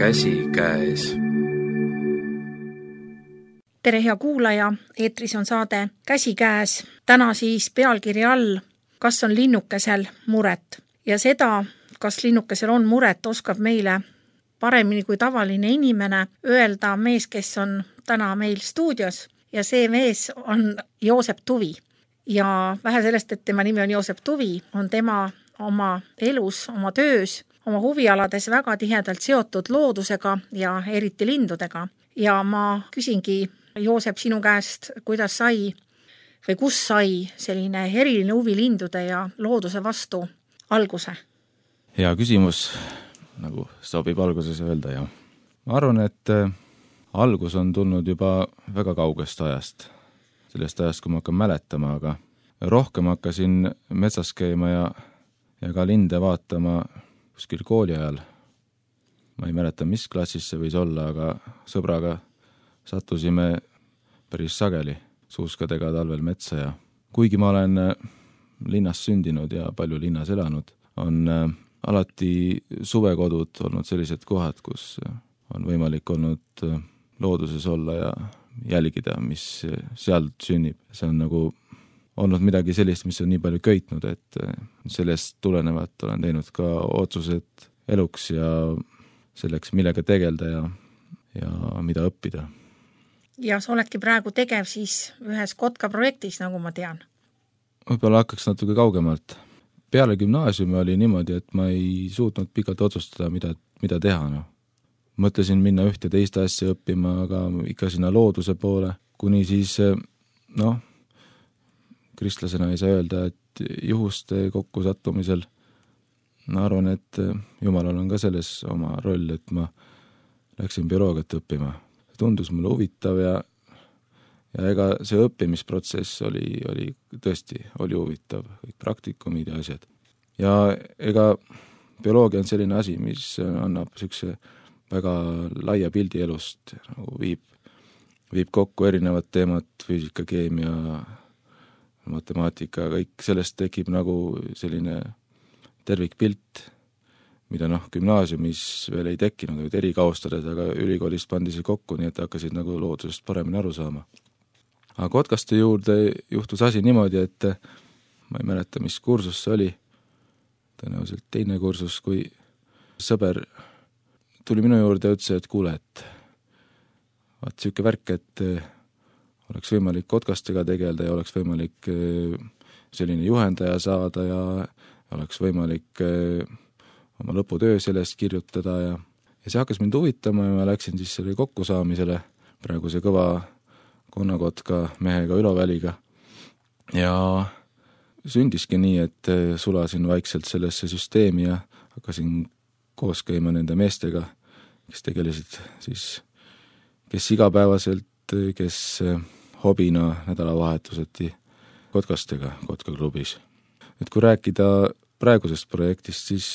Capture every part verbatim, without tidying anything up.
Käsikäes. Tere hea kuulaja, eetris on saade Käsikäes. Täna siis pealkiri all, kas on linnukesel muret. Ja seda, kas linnukesel on muret, oskab meile paremini kui tavaline inimene öelda mees, kes on täna meil stuudios. Ja see mees on Joosep Tuvi. Ja vähe sellest, et tema nimi on Joosep Tuvi, on tema oma elus, oma töös, oma huvialades väga tihedalt seotud loodusega ja eriti lindudega. Ja ma küsingi, Joosep, sinu käest, kuidas sai või kus sai selline eriline huvi lindude ja looduse vastu alguse? Hea küsimus, nagu sobib alguses öelda. Ja ma arvan, et algus on tulnud juba väga kaugest ajast. Sellest ajast, kui ma hakkan mäletama, aga rohkem hakkasin metsas käima ja, ja ka linde vaatama kuskil kooli ajal. Ma ei mäleta, mis klassis see võis olla, aga sõbraga sattusime päris sageli suuskadega talvel metsa ja kuigi ma olen linnas sündinud ja palju linnas elanud, on alati suvekodud olnud sellised kohad, kus on võimalik olnud looduses olla ja jälgida, mis seal sünnib. See on nagu olnud midagi sellist, mis on nii palju köitnud, et sellest tulenevat olen teinud ka otsused eluks ja selleks, millega tegelda ja, ja mida õppida. Ja sa oledki praegu tegev siis ühes Kotka projektis, nagu ma tean. Võib-olla hakkaks natuke kaugemalt. Peale gümnaasiumi oli niimoodi, et ma ei suutnud pikalt otsustada, mida, mida teha. No. Mõtlesin minna ühte teist asja õppima, aga ikka sinna looduse poole, kuni siis, noh, kristlasena ei saa öelda, et juhuste kokkusattumisel ma arvan, et Jumalal on ka selles oma roll, et ma läksin bioloogiat õppima. Tundus mulle huvitav ja, ja ega see õppimisprotsess oli, oli tõesti oli huvitav, kõik praktikumid ja asjad. Ja ega bioloogia on selline asi, mis annab sükse väga laia pildi elust, nagu viib, viib kokku erinevad teemad, füüsika, keemia, matemaatika, kõik sellest tekib nagu selline tervikpilt, mida noh, gümnaasiumis veel ei tekkinud, olid erikaustades, aga ülikoolist pandi see kokku, nii et hakkasid nagu loodusest paremini aru saama. Aga Kotkaste juurde juhtus asi niimoodi, et ma ei mäleta, mis kursus see oli, tõenäoliselt teine kursus, kui sõber tuli minu juurde ja ütles, et kuule, et vaat siuke värk, et oleks võimalik Kotkastega tegelda ja oleks võimalik selline juhendaja saada ja oleks võimalik oma lõputöö sellest kirjutada ja, ja see hakkas mind huvitama ja ma läksin siis selle kokkusaamisele praeguse kõva Konnakotka mehega Ülo Väliga ja sündiski nii, et sulasin vaikselt sellesse süsteemi ja hakkasin koos käima nende meestega, kes tegelesid siis, kes igapäevaselt, kes hobina nädalavahetuseti Kotkastega Kotka klubis. Et kui rääkida praegusest projektist, siis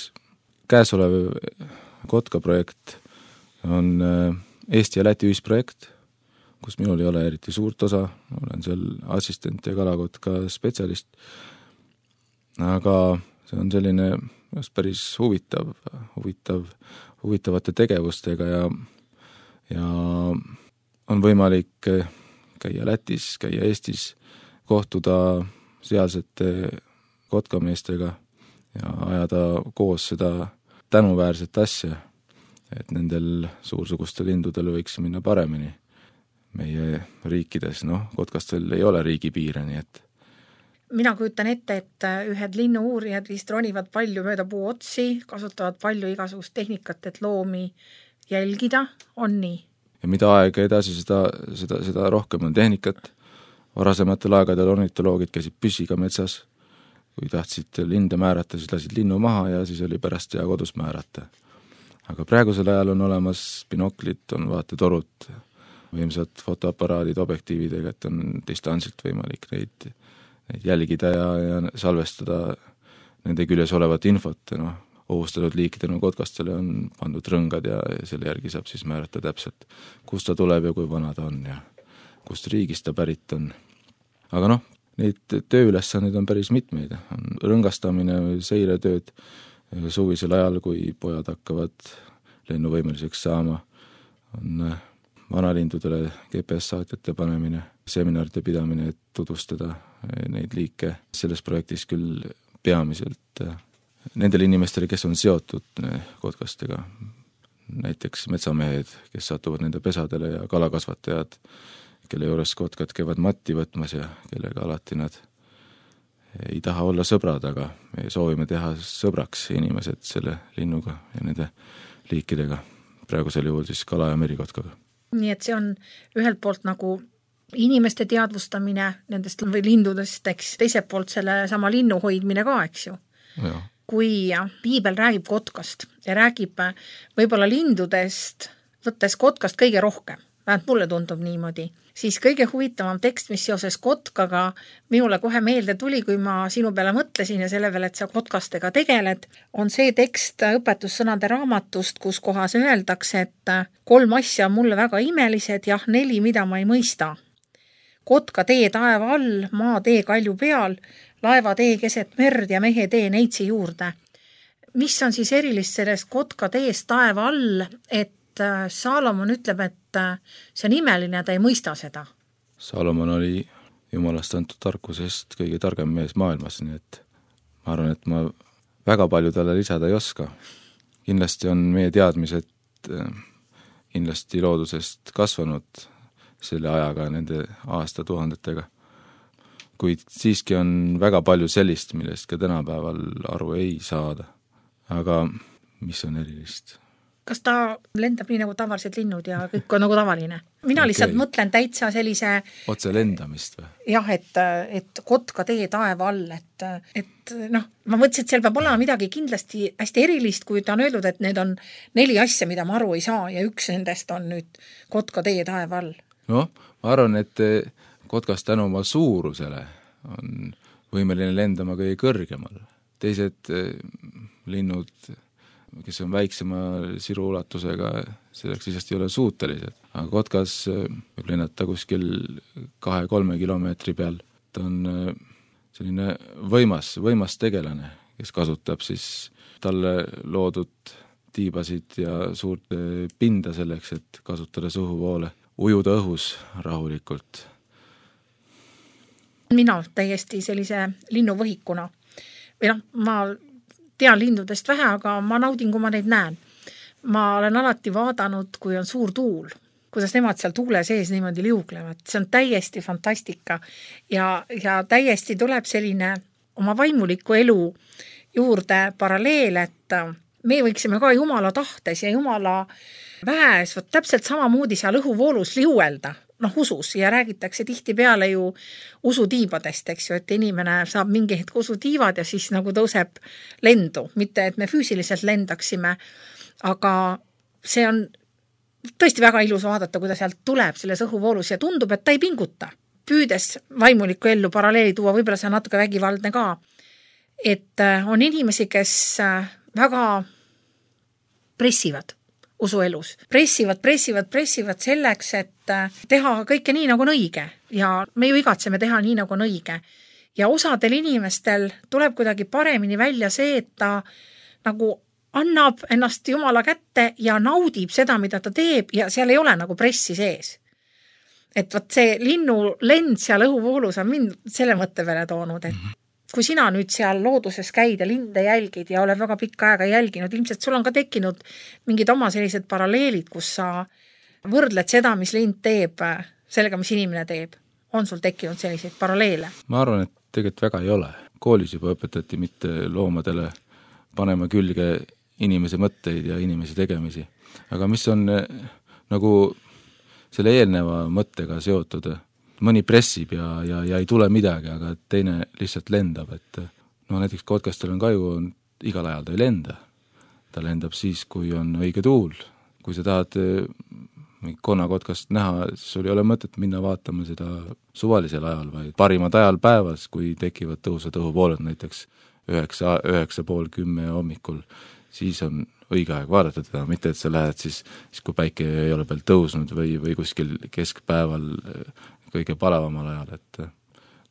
käesolev Kotka projekt on Eesti ja Läti ühisprojekt, kus minul ei ole eriti suurt osa, olen seal assistent ja kalakotka spetsialist, aga see on selline just päris huvitav, huvitav, huvitavate tegevustega ja, ja on võimalik käia Lätis, käia Eestis, kohtuda sealsete kotkameestega ja ajada koos seda tänuväärset asja, et nendel suursugustel lindudel võiks minna paremini meie riikides. Noh, Kotkastel ei ole riigipiire, nii et mina kujutan ette, et ühed linnu-uurijad vist ronivad palju mööda puu otsi, kasutavad palju igasugust tehnikat, et loomi jälgida, on nii? Ja mida aega edasi, seda, seda, seda rohkem on tehnikat. Varasematel aegadel ornitoloogid käisid püssiga metsas, kui tahtsid linde määrata, siis lasid linnu maha ja siis oli pärast ja kodus määrata. Aga praegusel ajal on olemas binoklid, on vaatetorud, võimsad fotoaparaadid objektiividega, et on distantsilt võimalik neid, neid jälgida ja, ja salvestada nende küljes olevat infot. No, ohustatud liikidena Kotkastele on pandud rõngad ja, ja selle järgi saab siis määrata täpselt, kust ta tuleb ja kui vana ta on ja kust riigist ta pärit on. Aga noh, neid tööülesandeid on päris mitmeid. On rõngastamine, seiretööd suvisel ajal, kui pojad hakkavad lennuvõimeliseks saama, on vanalindudele G P S-saatjate panemine, seminaride pidamine, et tutvustada neid liike. Selles projektis küll peamiselt nendele inimestele, kes on seotud kotkastega, näiteks metsamehed, kes satuvad nende pesadele ja kalakasvatajad, kelle juures kotkad käivad matti võtmas ja kellega alati nad ei taha olla sõbrad, aga me soovime teha sõbraks inimesed selle linnuga ja nende liikidega, praegusel juhul siis kala- ja merikotkaga. Nii et see on ühelt poolt nagu inimeste teadvustamine nendest või lindudest, eks teiselt poolt selle sama linnu hoidmine ka, eks ju. Ja. Kui piibel räägib kotkast ja räägib võib-olla lindudest, võttes kotkast kõige rohkem, vähemalt mulle tundub niimoodi, siis kõige huvitavam tekst, mis seoses kotkaga minule kohe meelde tuli, kui ma sinu peale mõtlesin ja selle peale, et sa kotkastega tegeled, on see tekst õpetussõnade raamatust, kus kohas öeldakse, et kolm asja on mulle väga imelised, jah, neli, mida ma ei mõista. Kotka tee taeva all, maa tee kalju peal, laeva tee keset merd ja mehe tee neitsi juurde. Mis on siis erilist sellest kotka teest taeva all, et Saalomon ütleb, et see on imeline, ta ei mõista seda. Saalomon oli Jumalast antud tarkusest kõige targem mees maailmas, nii et ma arvan, et ma väga palju talle lisada ei oska. Kindlasti on meie teadmised kindlasti loodusest kasvanud selle ajaga, nende aastatuhandetega. Kuid siiski on väga palju sellist, millest ka tänapäeval aru ei saada. Aga mis on erilist? Kas ta lendab nii nagu tavalised linnud ja kõik on nagu tavaline? Mina okay. Lihtsalt mõtlen täitsa sellise... Otse lendamist või? Jah, et, et kotka tee taeva all, et, et noh, ma mõtlesin, et seal peab olema midagi kindlasti hästi erilist, kui ta on öeldud, et need on neli asja, mida ma aru ei saa ja üks nendest on nüüd kotka tee taeva all. Noh, ma arvan, et kotkas tänu oma suurusele on võimeline lendama kõige kõrgemal. Teised linnud, kes on väiksema siru ulatusega, selleks lihtsalt ei ole suutelised. Aga kotkas võib lennata kuskil kahe-kolme kilomeetri peal. Ta on selline võimas, võimas tegelane, kes kasutab siis talle loodud tiibasid ja suurt pinda selleks, et kasutada õhuvoole, ujuda õhus rahulikult. Mina täiesti sellise linnuvõhikuna. Või noh, ma tean lindudest vähe, aga ma naudin, kui ma neid näen. Ma olen alati vaadanud, kui on suur tuul, kuidas nemad seal tuule sees niimoodi liuglevad. See on täiesti fantastika ja, ja täiesti tuleb selline oma vaimuliku elu juurde paralleel, et me võiksime ka Jumala tahtes ja Jumala väes võt täpselt samamoodi seal õhuvoolus liuelda, noh usus, ja räägitakse tihti peale ju usutiibadest, eks ju, et inimene saab mingi hetk usutiivad ja siis nagu tõuseb lendu, mitte et me füüsiliselt lendaksime, aga see on tõesti väga ilus vaadata, kuidas sealt tuleb selles õhuvoolus ja tundub, et ta ei pinguta. Püüdes vaimulikku ellu paralleeli tuua, võib-olla see on natuke vägivaldne ka, et on inimesi, kes väga pressivad usuelus. Pressivad, pressivad, pressivad selleks, et teha kõike nii, nagu on õige. Ja me ju igatseme teha nii, nagu on õige. Ja osadel inimestel tuleb kuidagi paremini välja see, et ta nagu annab ennast Jumala kätte ja naudib seda, mida ta teeb ja seal ei ole nagu pressi sees. Et võt see linnu lend seal õhuvoolus on mind selle mõtte peale toonud, et kui sina nüüd seal looduses käid ja linde jälgid ja oled väga pikka aega jälginud, ilmselt sul on ka tekkinud mingid oma sellised paralleelid, kus sa võrdled seda, mis lind teeb, sellega, mis inimene teeb. On sul tekkinud selliseid paralleele? Ma arvan, et tegelikult väga ei ole. Koolis juba õpetati mitte loomadele panema külge inimese mõtteid ja inimese tegemisi. Aga mis on nagu selle eelneva mõttega seotud, mõni pressib ja, ja, ja ei tule midagi, aga teine lihtsalt lendab, et no näiteks kotkastel on kaju, on, igal ajal ta ei lenda. Ta lendab siis, kui on õige tuul. Kui sa tahad konnakotkast näha, siis sul ei ole mõtet minna vaatama seda suvalisel ajal, vaid parimad ajal päevas, kui tekivad tõusvad õhuvooled, näiteks üheksa, üheksa pool kümme hommikul, siis on õige aeg vaadata teda, mitte et sa lähed siis, siis kui päike ei ole peal tõusnud või, või kuskil keskpäeval kõige palavamal ajal, et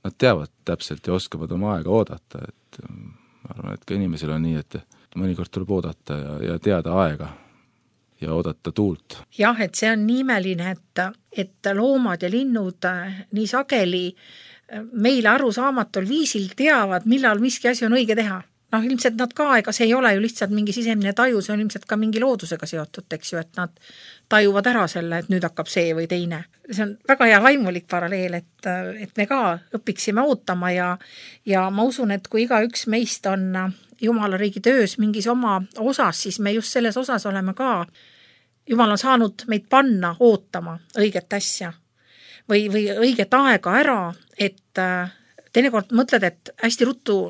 nad teavad täpselt ja oskavad oma aega oodata, et ma arvan, et ka inimesel on nii, et mõnikord tuleb oodata ja, ja teada aega. ja oodata tuult. Jah, et see on nii imeline, et, et loomad ja linnud nii sageli meile arusaamatul viisil teavad, millal miski asi on õige teha. Noh, ilmselt nad ka, ega see ei ole ju lihtsalt mingi sisemine taju, see on ilmselt ka mingi loodusega seotud, eks ju, et nad tajuvad ära selle, et nüüd hakkab see või teine. See on väga hea vaimulik paralleel, et, et me ka õpiksime ootama ja, ja ma usun, et kui iga üks meist on Jumala riigi töös mingis oma osas, siis me just selles osas oleme ka. Jumal on saanud meid panna ootama õiget asja või, või õiget aega ära, et teinekord mõtled, et hästi ruttu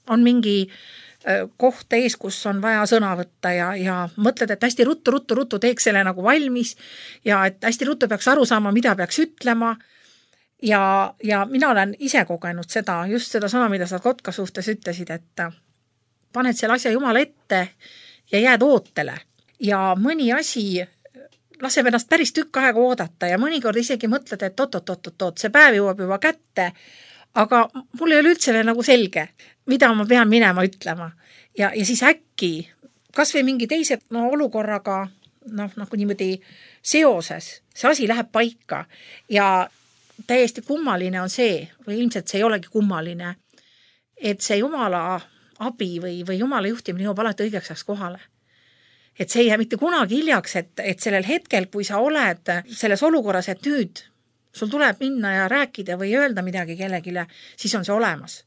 on mingi koht ees, kus on vaja sõna võtta ja, ja mõtled, et hästi ruttu, ruttu, ruttu teeks selle nagu valmis ja et hästi ruttu peaks aru saama, mida peaks ütlema. Ja, ja mina olen ise kogenud seda, just seda sama, mida sa kotka suhtes ütlesid, et paned selle asja Jumala ette ja jääd ootele. Ja mõni asi laseb ennast päris tükk aega oodata ja mõnikord isegi mõtled, et oot-oot-oot-oot, see päev jõuab juba kätte, aga mul ei ole üldse veel nagu selge, mida ma pean minema ütlema. Ja, ja siis äkki, kas või mingi teise no, olukorraga noh, nagu niimoodi seoses, see asi läheb paika ja täiesti kummaline on see, või ilmselt see ei olegi kummaline, et see Jumala abi või, või Jumala juhtimine jõuab alati õigeks kohale. Et see ei jää mitte kunagi hiljaks, et, et sellel hetkel, kui sa oled selles olukorras, et nüüd sul tuleb minna ja rääkida või öelda midagi kellegile, siis on see olemas.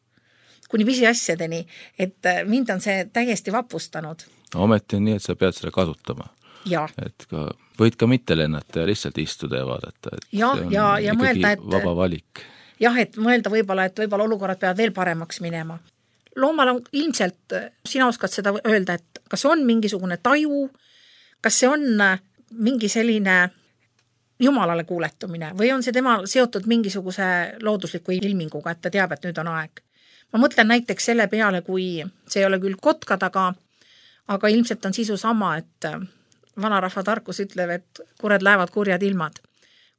Kuni pisi asjadeni, et mind on see täiesti vapustanud. Ometi on nii, et sa pead seda kasutama. Ja. Et ka, võid ka mitte lennata ja lihtsalt istuda ja vaadata. Et ja, see on ja, ja mõelda, et, vaba valik. Jah, et mõelda võib-olla, et võib-olla olukorrad peavad veel paremaks minema. Loomal on ilmselt, sina oskad seda öelda, et kas on mingisugune taju, kas see on mingi selline Jumalale kuuletumine või on see tema seotud mingisuguse loodusliku ilminguga, et ta teab, et nüüd on aeg. Ma mõtlen näiteks selle peale, kui see ei ole küll kotkad, aga, aga ilmselt on sisu sama, et vanarahva tarkus ütleb, et kured lähevad kurjad ilmad.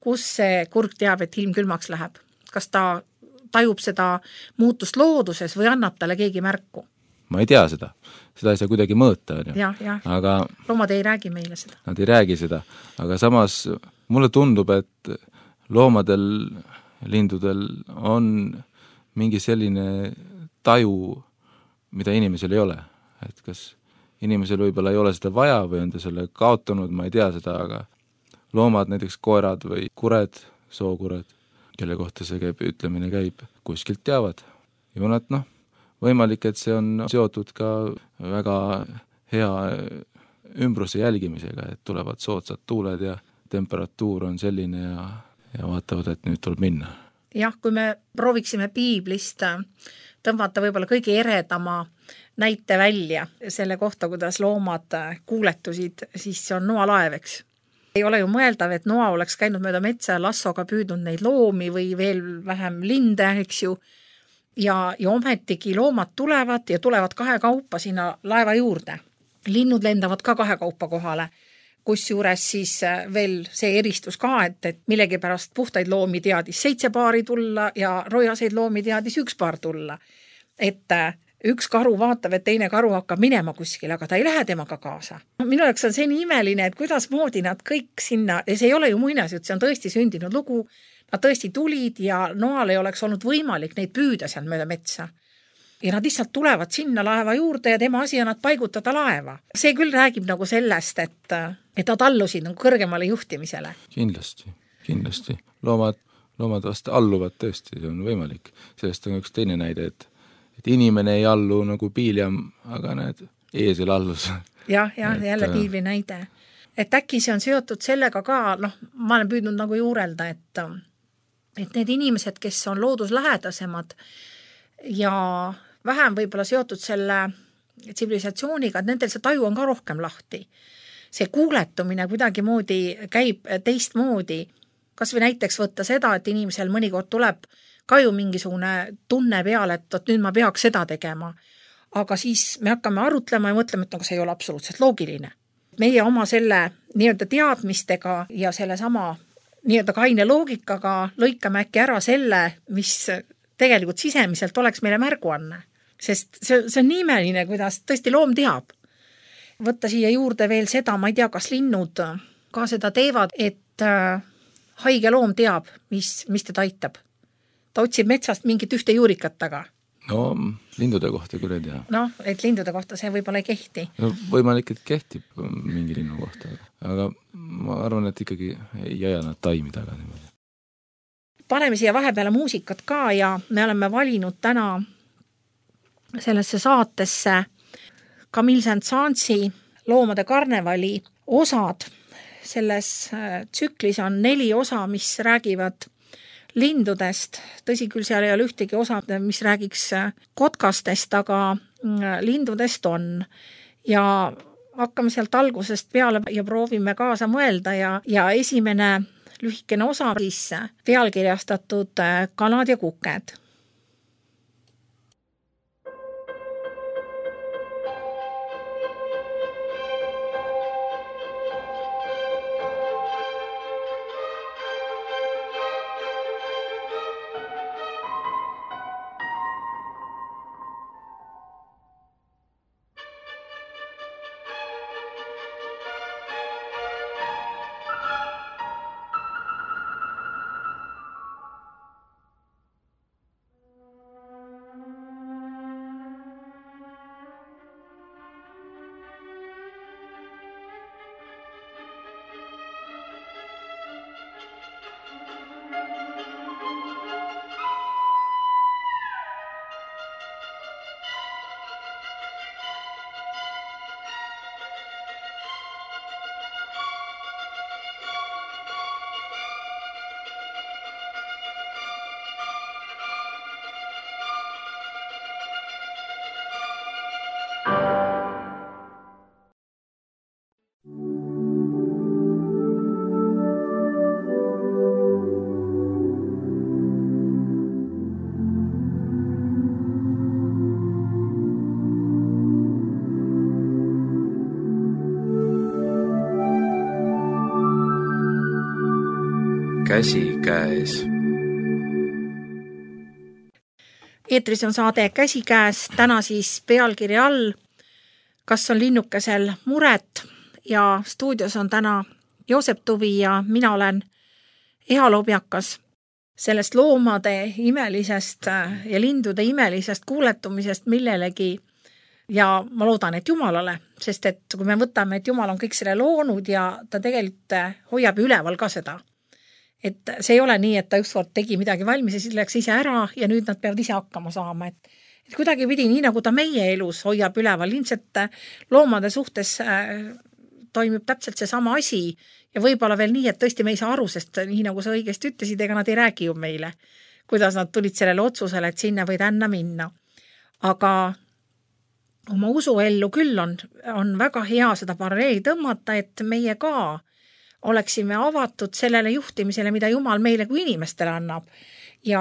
Kus see kurg teab, et ilm külmaks läheb? Kas ta tajub seda muutust looduses või annab talle keegi märku? Ma ei tea seda. Seda ei saa kuidagi mõõta. Ja, ja. Aga loomad ei räägi meile seda. Nad ei räägi seda. Aga samas mulle tundub, et loomadel, lindudel on mingi selline taju, mida inimesel ei ole. Et kas inimesel võib-olla ei ole seda vaja või on ta selle kaotanud, ma ei tea seda, aga loomad, näiteks koerad või kured, sookured, kelle kohta see käib, ütlemine käib, kuskilt teavad. Ju nad, noh, võimalik, et see on seotud ka väga hea ümbruse jälgimisega, et tulevad soodsad tuuled ja temperatuur on selline ja, ja vaatavad, et nüüd tuleb minna. Jah, kui me prooviksime piiblist tõmmata võib-olla kõige eredama näite välja selle kohta, kuidas loomad kuuletusid, siis see on noalaev, eks. Ei ole ju mõeldav, et noa oleks käinud mööda metsa ja lassoga püüdnud neid loomi või veel vähem linde, eks ju. Ja, ja ometigi loomad tulevad ja tulevad kahe kaupa sinna laeva juurde. Linnud lendavad ka kahe kaupa kohale, kus juures siis veel see eristus ka, et, et millegi pärast puhtaid loomi teadis seitse paari tulla ja rojaseid loomi teadis üks paar tulla. Et üks karu vaatab, et teine karu hakkab minema kuskil, aga ta ei lähe temaga kaasa. Minu jaoks on see nii imeline, et kuidas moodi nad kõik sinna, ja see ei ole ju muinasjutt, see on tõesti sündinud lugu, nad tõesti tulid ja noal ei oleks olnud võimalik neid püüda seal mööda metsa. Ja nad lihtsalt tulevad sinna laeva juurde ja tema asi on nad paigutada laeva. See küll räägib nagu sellest, et, et nad allusid nagu kõrgemale juhtimisele. Kindlasti, kindlasti. Loomad, loomad vast alluvad tõesti, see on võimalik. Sellest on üks teine näide, et et inimene ei allu nagu piiljam, aga need eesel allus. Jah, jah, et, jälle piibli näide. Et äkki see on seotud sellega ka, noh, ma olen püüdnud nagu juurelda, et, et need inimesed, kes on looduslähedasemad ja vähem võib-olla seotud selle tsivilisatsiooniga, et nendel see taju on ka rohkem lahti. See kuuletumine kuidagi moodi käib teistmoodi. Kas või näiteks võtta seda, et inimesel mõnikord tuleb ka ju mingisugune tunne peale, et, et nüüd ma peaks seda tegema. Aga siis me hakkame arutlema ja mõtlema, et no, see ei ole absoluutselt loogiline. Meie oma selle nii-öelda teadmistega ja selle sama nii-öelda kaine loogikaga lõikame äkki ära selle, mis tegelikult sisemiselt oleks meile märguanne. Sest see, see on nii imeline, kuidas tõesti loom teab. võtta siia juurde veel seda, ma ei tea, kas linnud ka seda teevad, et haige loom teab, mis, mis teda aitab. Ta otsib metsast mingit ühte juurikat taga. No lindude kohta küll ei tea. Noh, et lindude kohta see võib-olla ei kehti. No, võimalik, et kehtib mingi linnu kohta, aga ma arvan, et ikkagi ei aja nad taimi taga niimoodi. Paneme siia vahepeale muusikat ka ja me oleme valinud täna sellesse saatesse Camille Saint-Saënsi Loomade karnevali osad. Selles tsüklis on neli osa, mis räägivad lindudest. Tõsi küll, seal ei ole ühtegi osa, mis räägiks kotkastest, aga lindudest on. Ja hakkame sealt algusest peale ja proovime kaasa mõelda ja, ja esimene lühikene osa siis pealkirjastatud Kanad ja kuked. Käsikäes. Eetris on saade Käsikäes, täna siis pealkiri all, kas on linnukesel muret ja stuudios on täna Joosep Tuvi ja mina olen Eha Lobjakas. Sellest loomade imelisest ja lindude imelisest kuuletumisest millelegi ja ma loodan, et Jumalale, sest et kui me võtame, et Jumal on kõik selle loonud ja ta tegelikult hoiab üleval ka seda. Et see ei ole nii, et ta ükskord tegi midagi valmis ja siis läks ise ära ja nüüd nad peavad ise hakkama saama. Et, et kuidagi pidi nii, nagu ta meie elus hoiab üleval, ilmselt loomade suhtes toimib täpselt see sama asi ja võib-olla veel nii, et tõesti me ei saa aru, sest nii nagu sa õigesti ütlesid, ega nad ei räägi ju meile, kuidas nad tulid sellele otsusele, et sinna või tänna minna. Aga oma usuellu küll on, on väga hea seda paralleeli tõmmata, et meie ka oleksime avatud sellele juhtimisele, mida Jumal meile kui inimestele annab. Ja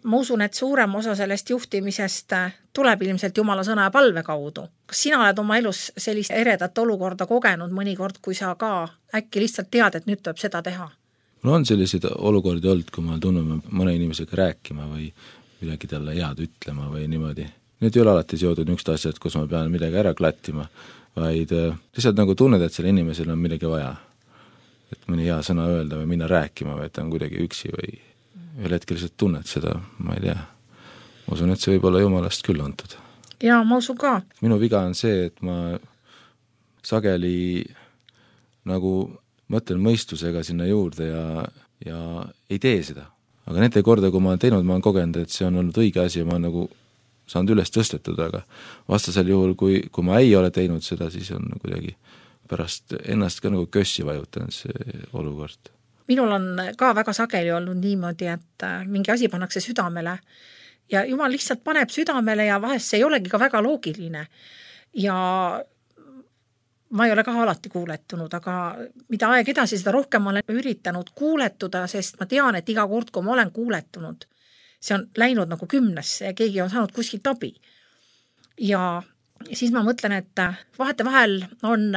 ma usun, et suurem osa sellest juhtimisest tuleb ilmselt Jumala sõna ja palve kaudu. Kas sina oled oma elus sellist eredat olukorda kogenud mõnikord, kui sa ka äkki lihtsalt tead, et nüüd tuleb seda teha? Mul on selliseid olukordi olnud, kui ma tunnen mõne inimesega rääkima või midagi talle head ütlema või niimoodi. Need ei ole alati seotud niisugust asjad, kus ma pean midagi ära klattima, vaid lihtsalt nagu tunned, et selle inimesel on midagi vaja. Et mõni hea sõna öelda või minna rääkima või et ta on kuidagi üksi või ühel hetkel lihtsalt tunned seda, ma ei tea. Ma usun, et see võib olla Jumalast küll antud. Jaa, ma usun ka. Minu viga on see, et ma sageli nagu mõtlen mõistusega sinna juurde ja, ja ei tee seda. Aga nende korda, kui ma olen teinud, ma olen kogenud, et see on olnud õige asi ja ma olen nagu saanud üles tõstetud, aga vastasel juhul, kui, kui ma ei ole teinud seda, siis on kuidagi pärast ennast ka nagu kössi vajutan see olukord. Minul on ka väga sageli olnud niimoodi, et mingi asi pannakse südamele ja Jumal lihtsalt paneb südamele ja vahest see ei olegi ka väga loogiline. Ja ma ei ole ka alati kuuletunud, aga mida aeg edasi, seda rohkem olen üritanud kuuletuda, sest ma tean, et iga kord, kui ma olen kuuletunud, see on läinud nagu kümnesse ja keegi on saanud kuskilt abi. Ja siis ma mõtlen, et vahete vahel on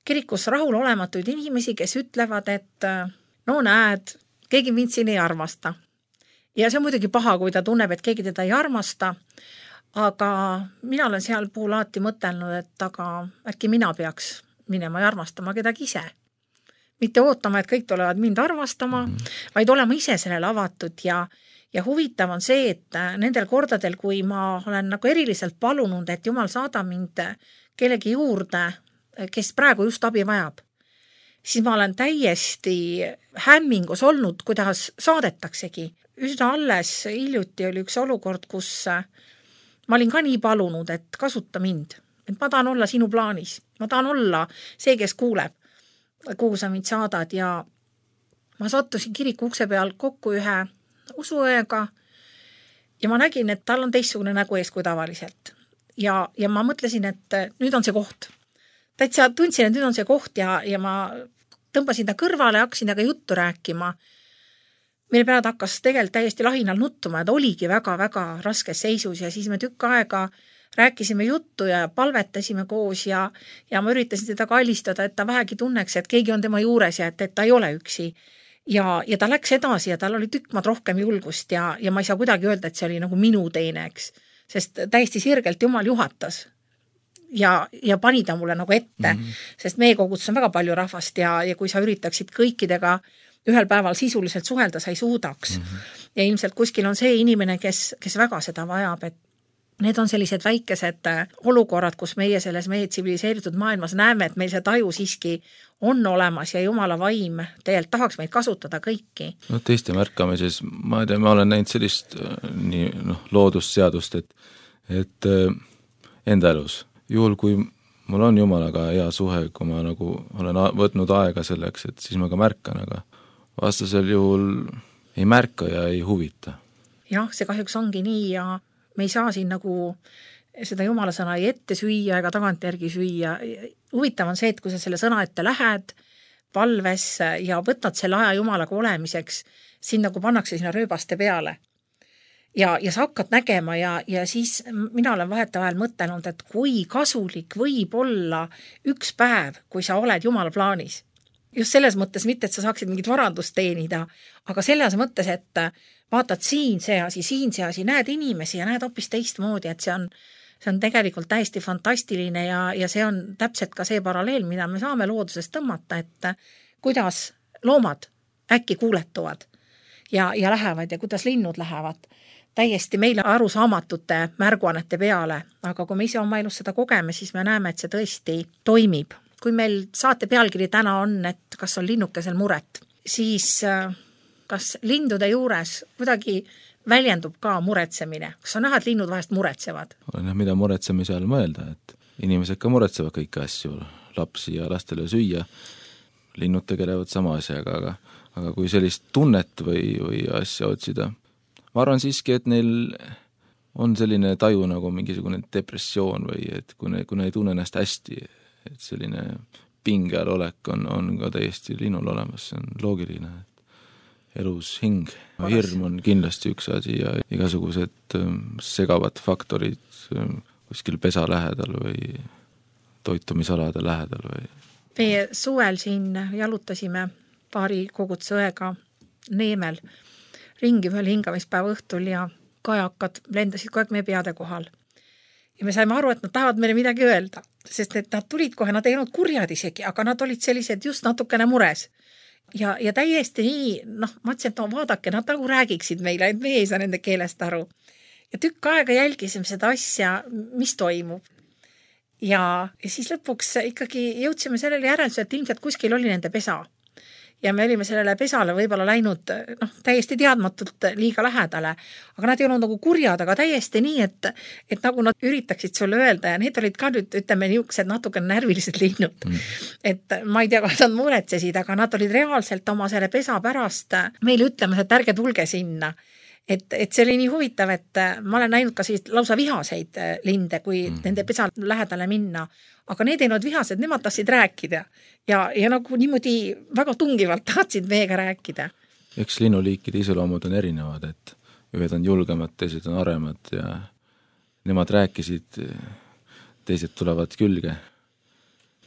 kirikus rahul olematuid inimesi, kes ütlevad, et no näed, keegi mind siin ei armasta. Ja see on muidugi paha, kui ta tunneb, et keegi teda ei armasta, aga mina olen seal puhul alati mõtelnud, et aga äkki mina peaks minema ja armastama kedagi ise. Mitte ootama, et kõik tulevad mind armastama, vaid olema ise sellele avatud ja, ja huvitav on see, et nendel kordadel, kui ma olen nagu eriliselt palunud, et Jumal saada mind kellegi juurde, kes praegu just abi vajab, siis ma olen täiesti hämmingus olnud, kuidas saadetaksegi. Üsna alles hiljuti oli üks olukord, kus ma olin ka nii palunud, et kasuta mind. Et ma tahan olla sinu plaanis. Ma tahan olla see, kes kuuleb, kuhu sa mind saadad. Ja ma sattusin kiriku ukse peal kokku ühe usuõega ja ma nägin, et tal on teistsugune nägu ees kui tavaliselt. Ja, ja ma mõtlesin, et nüüd on see koht. Täitsa tundsin, et nüüd on see koht ja, ja ma tõmbasin ta kõrvale ja hakkasin taga juttu rääkima. Meil pead hakkas tegelikult täiesti lahinal nuttuma, et oligi väga-väga raskes seisus ja siis me tükk aega rääkisime juttu ja palvetasime koos ja, ja ma üritasin teda kallistada, et ta vähegi tunneks, et keegi on tema juures ja et, et ta ei ole üksi. Ja, ja ta läks edasi ja tal oli tükk maad rohkem julgust ja, ja ma ei saa kuidagi öelda, et see oli nagu minu teine, eks. Sest täiesti sirgelt Jumal juhatas ja, ja pani ta mulle nagu ette, mm-hmm. sest meie kogutus on väga palju rahvast ja, ja kui sa üritaksid kõikidega ühel päeval sisuliselt suhelda, sa ei suudaks. Mm-hmm. Ja ilmselt kuskil on see inimene, kes, kes väga seda vajab, et need on sellised väikesed olukorrad, kus meie selles meie tsiviliseeritud maailmas näeme, et meil see taju siiski on olemas ja Jumala vaim tegelikult tahaks meid kasutada kõiki. No teiste märkamises, ma ei tea, ma olen näinud sellist nii, noh, loodusseadust, et, et enda elus, juhul kui mul on Jumalaga hea suhe, kui ma nagu olen võtnud aega selleks, et siis ma ka märkan, aga vastasel juhul ei märka ja ei huvita. Jah, see kahjuks ongi nii ja me ei saa siin nagu seda Jumala sõna ei ette süüa ega tagantjärgi süüa. Huvitav on see, et kui sa selle sõna ette lähed palves ja võtad selle aja Jumalaga olemiseks, siin nagu pannakse sinna rööbaste peale. Ja, ja sa hakkad nägema ja, ja siis mina olen vahetavahel mõtelnud, et kui kasulik võib olla üks päev, kui sa oled Jumala plaanis. Just selles mõttes mitte, et sa saaksid mingit varandust teenida, aga selles mõttes, et vaatad siin see asi, siin see asi, näed inimesi ja näed hoopis teistmoodi, et see on, see on tegelikult täiesti fantastiline ja, ja see on täpselt ka see paralleel, mida me saame loodusest tõmmata, et kuidas loomad äkki kuuletuvad ja, ja lähevad ja kuidas linnud lähevad täiesti meile arusaamatute märguannete peale, aga kui me ise oma elus seda kogeme, siis me näeme, et see tõesti toimib. Kui meil saate pealkiri täna on, et kas on linnukesel muret, siis kas lindude juures kuidagi väljendub ka muretsemine? Kas on näha, et linnud vahest muretsevad? Olen jah, mida muretsemise all mõelda, et inimesed ka muretsevad kõiki asju, lapsi ja lastele süüa, linnud tegelevad sama asjaga, aga, aga kui sellist tunnet või, või asja otsida, ma arvan siiski, et neil on selline taju nagu mingisugune depressioon või et kui ne, kui ne ei tunne ennast hästi, et selline pingeal olek on, on ka täiesti linnul olemas, see on loogiline, et elus hing. Hirm on kindlasti üks asi ja igasugused segavad faktorid kuskil pesa lähedal või toitumisalade lähedal. Või... Meie suvel siin jalutasime paari kogutsõega Neemel ringi ühel hingamispäeva õhtul ja kajakad lendasid kogu aeg meie peade kohal. Ja me saime aru, et nad tahavad meile midagi öelda, sest et nad tulid kohe, nad ei olnud kurjad isegi, aga nad olid sellised just natukene mures. Ja, ja täiesti nii, noh, ma ütlesin, et no vaadake, nad nagu räägiksid meile, et me ei saa nende keelest aru. Ja tükk aega jälgisime seda asja, mis toimub. Ja, ja siis lõpuks ikkagi jõudsime sellele järeldusele, et ilmselt kuskil oli nende pesa. Ja me olime sellele pesale võib-olla läinud noh, täiesti teadmatult liiga lähedale, aga nad ei olnud nagu kurjad, aga täiesti nii, et, et nagu nad üritaksid sulle öelda ja need olid ka nüüd, ütleme, niisugused natuke närvilised linnud. Mm. Et ma ei tea, kas nad muretsesid, aga nad olid reaalselt oma selle pesa pärast meile ütlemas, et ärge tulge sinna. Et, et see oli nii huvitav, et ma olen näinud ka siis lausa vihaseid linde, kui mm. nende pesa lähedale minna, aga need ei olnud vihased, nemad tahtsid rääkida ja, ja nagu niimoodi väga tungivalt tahtsid meiega rääkida. Eks linnuliikide iseloomud on erinevad, et ühed on julgemad, teised on aremad ja nemad rääkisid, teised tulevad külge.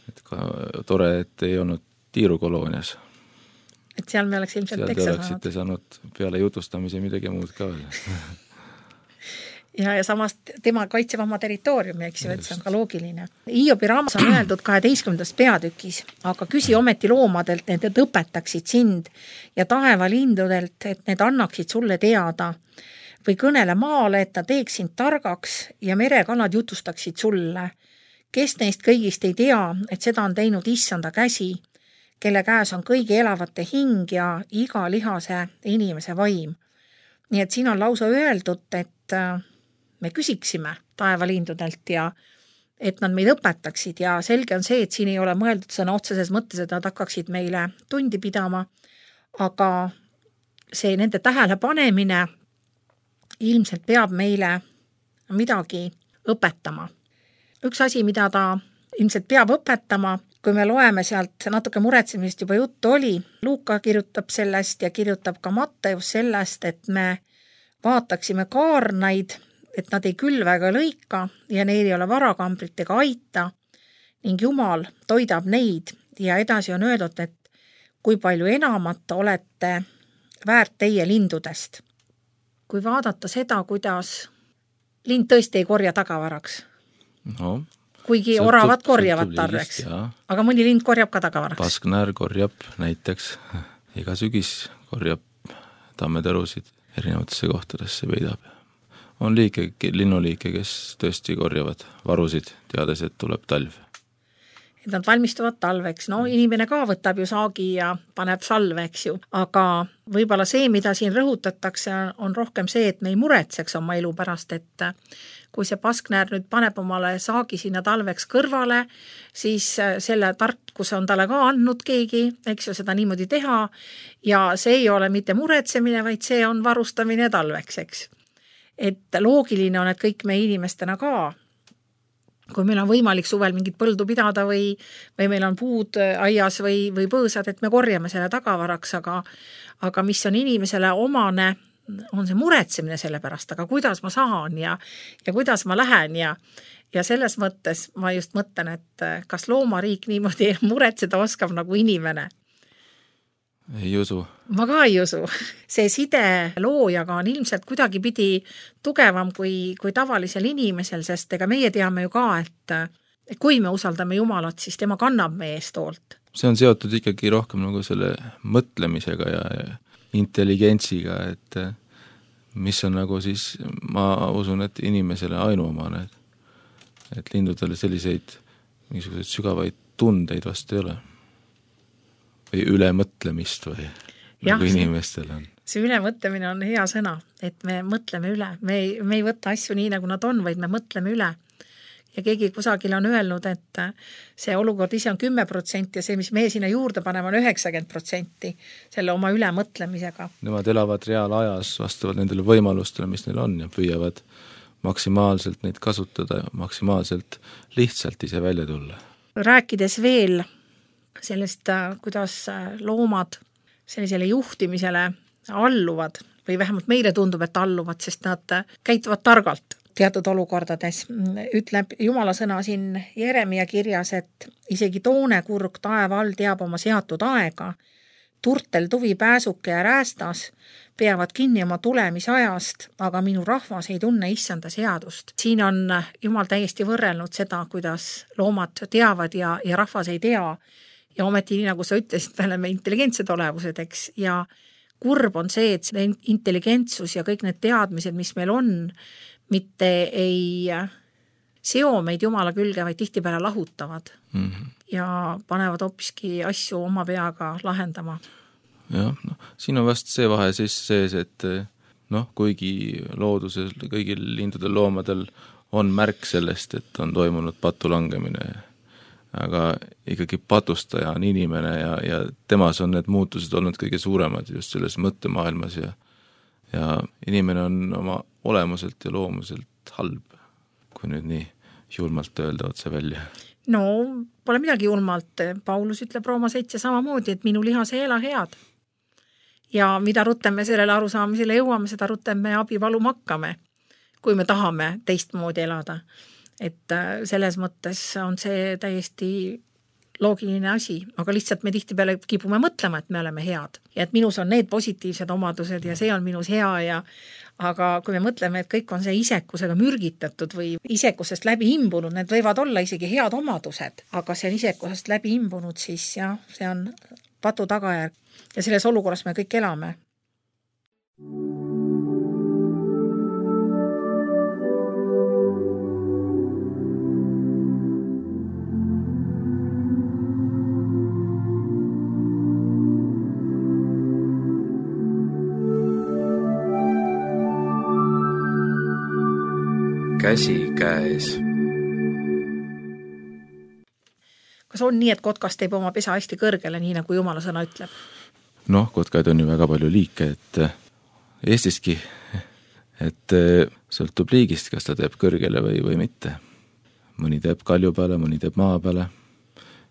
Et ka tore, et ei olnud tiirukoloonias. Et seal me oleks ilmselt teksa saanud. Seal te oleksite saanud peale jutustamise midagi muud ka veel. ja, ja samast tema kaitseb oma territooriumi, eks ju, et see on ka loogiline. Hiobi raamas on öeldud kaheteistkümnendas peatükis, aga küsi ometi loomadelt, et need õpetaksid sind ja taevalindudelt, et need annaksid sulle teada või kõnele maale, et ta teeks sind targaks ja merekalad jutustaksid sulle. Kes neist kõigist ei tea, et seda on teinud issanda käsi, kelle käes on kõigi elavate hing ja iga lihase inimese vaim. Nii et siin on lausa öeldud, et me küsiksime taevalindudelt ja et nad meid õpetaksid ja selge on see, et siin ei ole mõeldud sõna otseses mõttes, et nad hakkaksid meile tundi pidama, aga see nende tähele panemine ilmselt peab meile midagi õpetama. Üks asi, mida ta ilmselt peab õpetama, kui me loeme sealt natuke muretsemist juba juttu oli, Luuka kirjutab sellest ja kirjutab ka Matteus sellest, et me vaataksime kaarnaid, et nad ei külva ega lõika ja neil ei ole varakambrit ega aita ning Jumal toidab neid ja edasi on öeldud, et kui palju enamat olete väärt teie lindudest. Kui vaadata seda, kuidas lind tõesti ei korja tagavaraks, no, kuigi sõltub, oravad korjavad tarreks, aga mõni lind korjab ka tagavaraks. Pasknäär korjab näiteks, iga sügis korjab tammetõrusid erinevatesse kohtadesse peidab. On liike, linnuliike, kes tõesti korjavad varusid, teades, et tuleb talv. Et nad valmistuvad talveks. No inimene ka võtab ju saagi ja paneb salve, eks ju. Aga võib-olla see, mida siin rõhutatakse, on rohkem see, et me ei muretseks oma elu pärast, et kui see pasknäär nüüd paneb omale saagi sinna talveks kõrvale, siis selle tarkuse on talle ka andnud keegi, eks ju, seda niimoodi teha ja see ei ole mitte muretsemine, vaid see on varustamine talveks, eks. Et loogiline on, et kõik me inimestena ka, kui meil on võimalik suvel mingit põldu pidada või, või meil on puud aias või, või põõsad, et me korjame selle tagavaraks, aga, aga mis on inimesele omane, on see muretsemine selle pärast, aga kuidas ma saan ja, ja kuidas ma lähen ja, ja selles mõttes ma just mõtlen, et kas loomariik niimoodi muretseda oskab nagu inimene. Ei usu. Ma ka ei usu. See side loojaga on ilmselt kuidagi pidi tugevam kui, kui tavalisel inimesel, sest ega meie teame ju ka, et kui me usaldame Jumalat, siis tema kannab meie eest hoolt. See on seotud ikkagi rohkem nagu selle mõtlemisega ja, ja intelligentsiga, et mis on nagu siis, ma usun, et inimesele ainuomane, et, et lindudele selliseid mingisuguseid sügavaid tundeid vast ei ole. Või ülemõtlemist või ja, nagu inimestel on. See ülemõtlemine on hea sõna, et me mõtleme üle. Me ei, me ei võta asju nii, nagu nad on, vaid me mõtleme üle. Ja keegi kusagil on öelnud, et see olukord ise on kümme protsenti ja see, mis meie sinna juurde paneme, on üheksakümmend protsenti selle oma ülemõtlemisega. Nemad elavad reaalajas vastavalt nendele võimalustele, mis neil on ja püüavad maksimaalselt neid kasutada ja maksimaalselt lihtsalt ise välja tulla. Rääkides veel sellest, kuidas loomad sellisele juhtimisele alluvad või vähemalt meile tundub, et alluvad, sest nad käituvad targalt teatud olukordades. Ütleb Jumala sõna siin Jeremia kirjas, et isegi toonekurg taeva all teab oma seatud aega. Turtel, tuvi, pääsuke ja räästas peavad kinni oma tulemisajast, aga minu rahvas ei tunne issanda seadust. Siin on Jumal täiesti võrrelnud seda, kuidas loomad teavad ja, ja rahvas ei tea. Ja ometi, nii nagu sa ütlesid, me oleme intelligentsed olevused, eks, ja kurb on see, et see intelligentsus ja kõik need teadmised, mis meil on, mitte ei seo meid Jumala külge, vaid tihtipeale lahutavad mm -hmm. ja panevad hoopiski asju oma peaga lahendama. Jah, no, siin on vast see vahe siis sees, et noh, kuigi looduses kõigil lindudel loomadel on märk sellest, et on toimunud patulangemine, aga ikkagi patustaja on inimene ja, ja temas on need muutused olnud kõige suuremad just selles mõttemaailmas ja, ja inimene on oma olemuselt ja loomuselt halb, kui nüüd nii julmalt öelda otse välja. No, pole midagi julmalt. Paulus ütleb Rooma seitse samamoodi, et minu lihas ei ela head. Ja mida rutem me sellele arusaamisele jõuame, seda rutem me abi paluma hakkame, kui me tahame teistmoodi elada. Et selles mõttes on see täiesti loogiline asi, aga lihtsalt me tihtipeale kipume mõtlema, et me oleme head ja et minus on need positiivsed omadused ja see on minus hea ja aga kui me mõtleme, et kõik on see isekusega mürgitatud või isekusest läbi imbunud, need võivad olla isegi head omadused, aga see on isekusest läbi imbunud, siis jah, see on patu tagajärg ja selles olukorras me kõik elame. Käsi käes. Kas on nii, et kotkas teeb oma pesa hästi kõrgele, nii nagu Jumala sõna ütleb? Noh, kotkaid on ju väga palju liike, et Eestiski, et sõltub liigist, kas ta teeb kõrgele või, või mitte. Mõni teeb kalju peale, mõni teeb maa peale.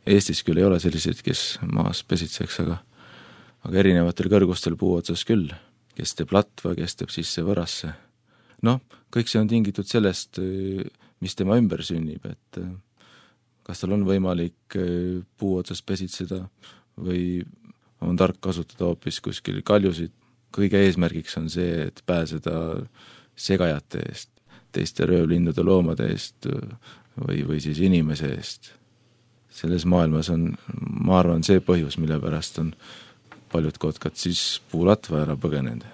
Eestis küll ei ole selliseid, kes maas pesitseks, aga, aga erinevatel kõrgustel puu otsas küll, kes teeb latva, kes teeb sisse võrasse. Noh, kõik see on tingitud sellest, mis tema ümber sünnib, et kas tal on võimalik puu otsas pesitseda või on tark kasutada hoopis kuskil kaljusid. Kõige eesmärgiks on see, et pääseda segajate eest, teiste röövlindude loomade eest või, või siis inimese eest. Selles maailmas on, ma arvan, see põhjus, mille pärast on paljud kotkad siis puulatva ära põgenenud.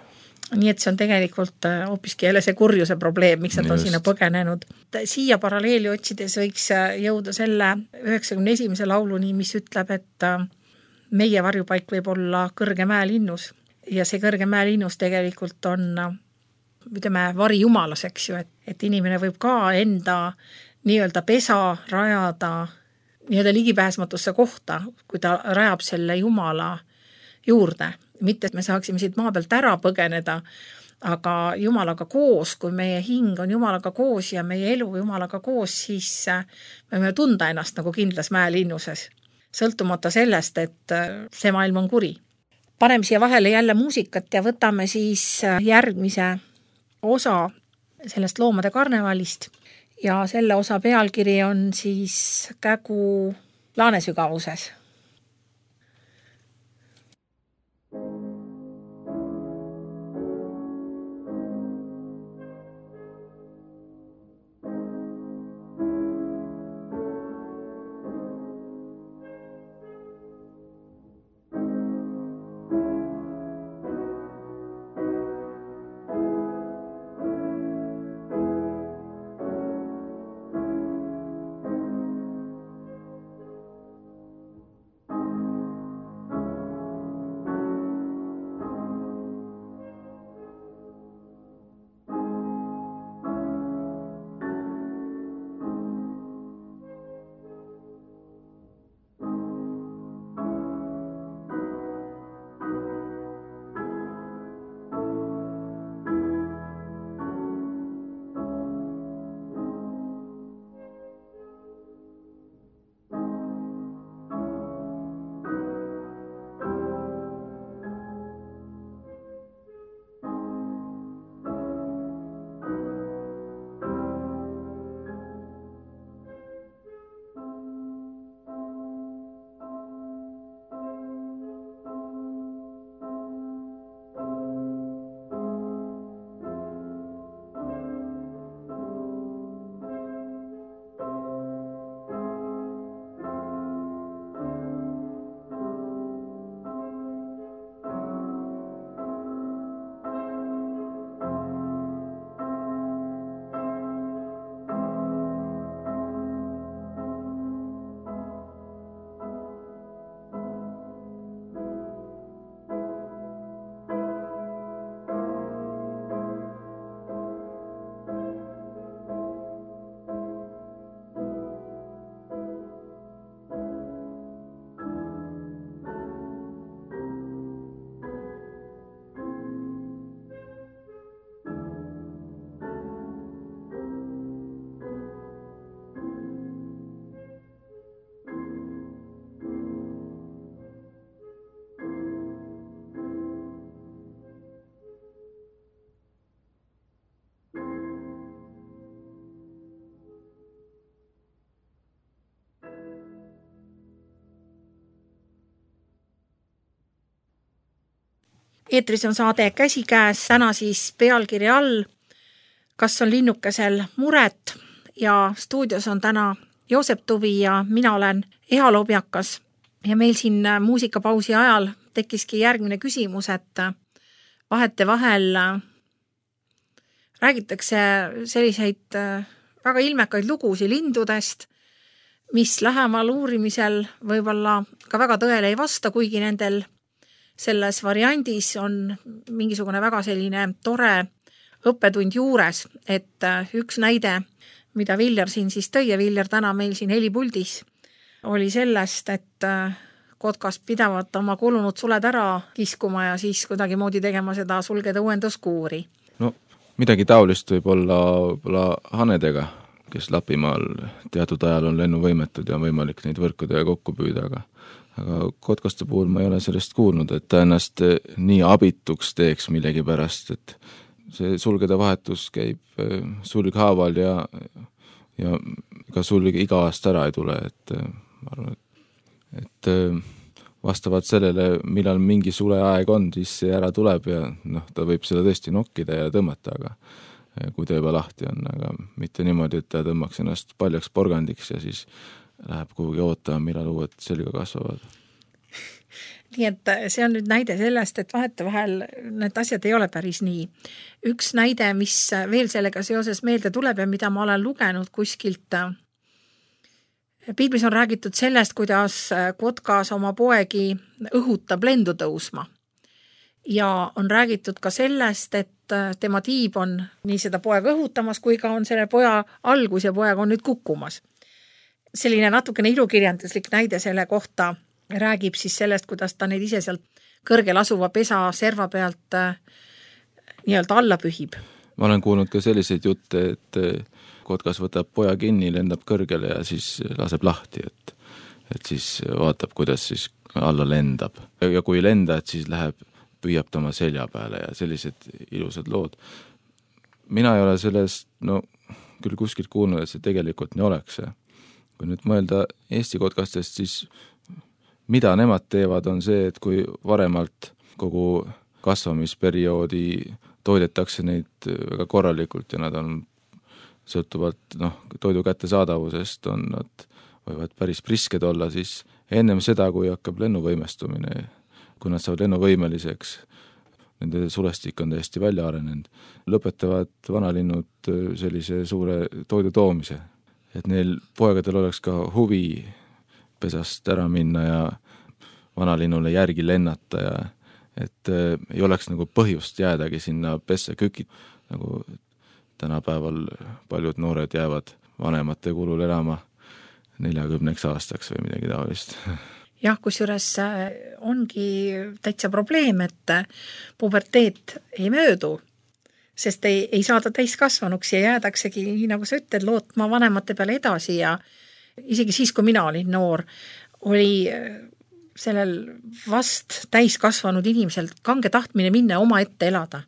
Nii et see on tegelikult hoopiski jälle see kurjuse probleem, miks nad on Just. sinna põgenenud. Siia paralleeli otsides võiks jõuda selle üheksakümne esimese lauluni, mis ütleb, et meie varjupaik võib olla kõrge mäelinnus ja see kõrge mäelinnus tegelikult on, ütleme, vari jumalas, eks ju, et, et inimene võib ka enda nii-öelda pesa rajada nii-öelda ligipääsmatusse kohta, kui ta rajab selle jumala juurde. Mitte, et me saaksime siit maa pealt ära põgeneda, aga jumalaga koos, kui meie hing on jumalaga koos ja meie elu jumalaga koos, siis me võime tunda ennast nagu kindlas mäelinnuses, sõltumata sellest, et see maailm on kuri. Paneme siia vahele jälle muusikat ja võtame siis järgmise osa sellest loomade karnevalist ja selle osa pealkiri on siis Kägu laanesügavuses. Eetris on saade Käsikäes, täna siis pealkiri all Kas on linnukesel muret ja stuudios on täna Joosep Tuvi ja mina olen Eha Lobjakas ja meil siin muusikapausi ajal tekkiski järgmine küsimus, et vahete vahel räägitakse selliseid väga ilmekaid lugusi lindudest, mis lähemal uurimisel võib-olla ka väga tõele ei vasta, kuigi nendel selles variandis on mingisugune väga selline tore õppetund juures, et üks näide, mida Viljar siin siis tõi ja Viljar täna meil siin helipuldis, oli sellest, et kotkast pidavat oma kulunud suled ära kiskuma ja siis kuidagi moodi tegema seda sulgede uuenduskuuri. No midagi taolist võib olla, olla hanedega, kes Lapimaal teatud ajal on lennuvõimetud ja on võimalik neid võrkudega kokku püüda, aga aga kotkaste puhul ma ei ole sellest kuulnud, et ta ennast nii abituks teeks millegi pärast, et see sulgede vahetus käib sulghaaval ja, ja ka sulg iga aasta ära ei tule, et ma arvan, et, et vastavalt sellele, millal mingi suleaeg on, siis see ära tuleb ja noh, ta võib seda tõesti nokkida ja tõmmata, aga kui ta juba lahti on, aga mitte niimoodi, et ta tõmmaks ennast paljaks porgandiks ja siis läheb kuhugi ootama, millal uued selga kasvavad. Nii et see on nüüd näide sellest, et vahete vahel need asjad ei ole päris nii. Üks näide, mis veel sellega seoses meelde tuleb ja mida ma olen lugenud kuskilt. Piiblis on räägitud sellest, kuidas kotkas oma poegi õhutab lendu tõusma. Ja on räägitud ka sellest, et tema tiib on nii seda poega õhutamas, kui ka on selle poja algus ja poeg on nüüd kukkumas. Selline natukene ilukirjanduslik näide selle kohta räägib siis sellest, kuidas ta neid ise sealt kõrgel asuva pesa serva pealt nii-öelda alla pühib. Ma olen kuulnud ka selliseid jutte, et kotkas võtab poja kinni, lendab kõrgele ja siis laseb lahti, et, et siis vaatab, kuidas siis alla lendab. Ja kui lenda, et siis läheb, püüab ta oma selja peale ja sellised ilusad lood. Mina ei ole sellest, no küll kuskilt kuulnud, et see tegelikult nii oleks. Kui nüüd mõelda Eesti kotkastest, siis mida nemad teevad on see, et kui varemalt kogu kasvamisperioodi toidetakse neid väga korralikult ja nad on sõltuvalt noh, toidu kättesaadavusest on nad võivad päris prisked olla, siis ennem seda, kui hakkab lennuvõimestumine, kui nad saavad lennuvõimeliseks, nende sulestik on täiesti välja arenenud, lõpetavad vanalinnud sellise suure toidu toomise. Et neil poegadel oleks ka huvi pesast ära minna ja vanalinnule järgi lennata ja et äh, ei oleks nagu põhjust jäädagi sinna pesse kükid, nagu tänapäeval paljud noored jäävad vanemate kulul elama neljakümneks aastaks või midagi taolist. Jah, kusjuures ongi täitsa probleem, et puberteet ei möödu, sest ei, ei saada täiskasvanuks ja jäädaksegi, nii nagu sa ütled, lootma vanemate peale edasi ja isegi siis, kui mina olin noor, oli sellel vast täiskasvanud inimesel kange tahtmine minna oma ette elada.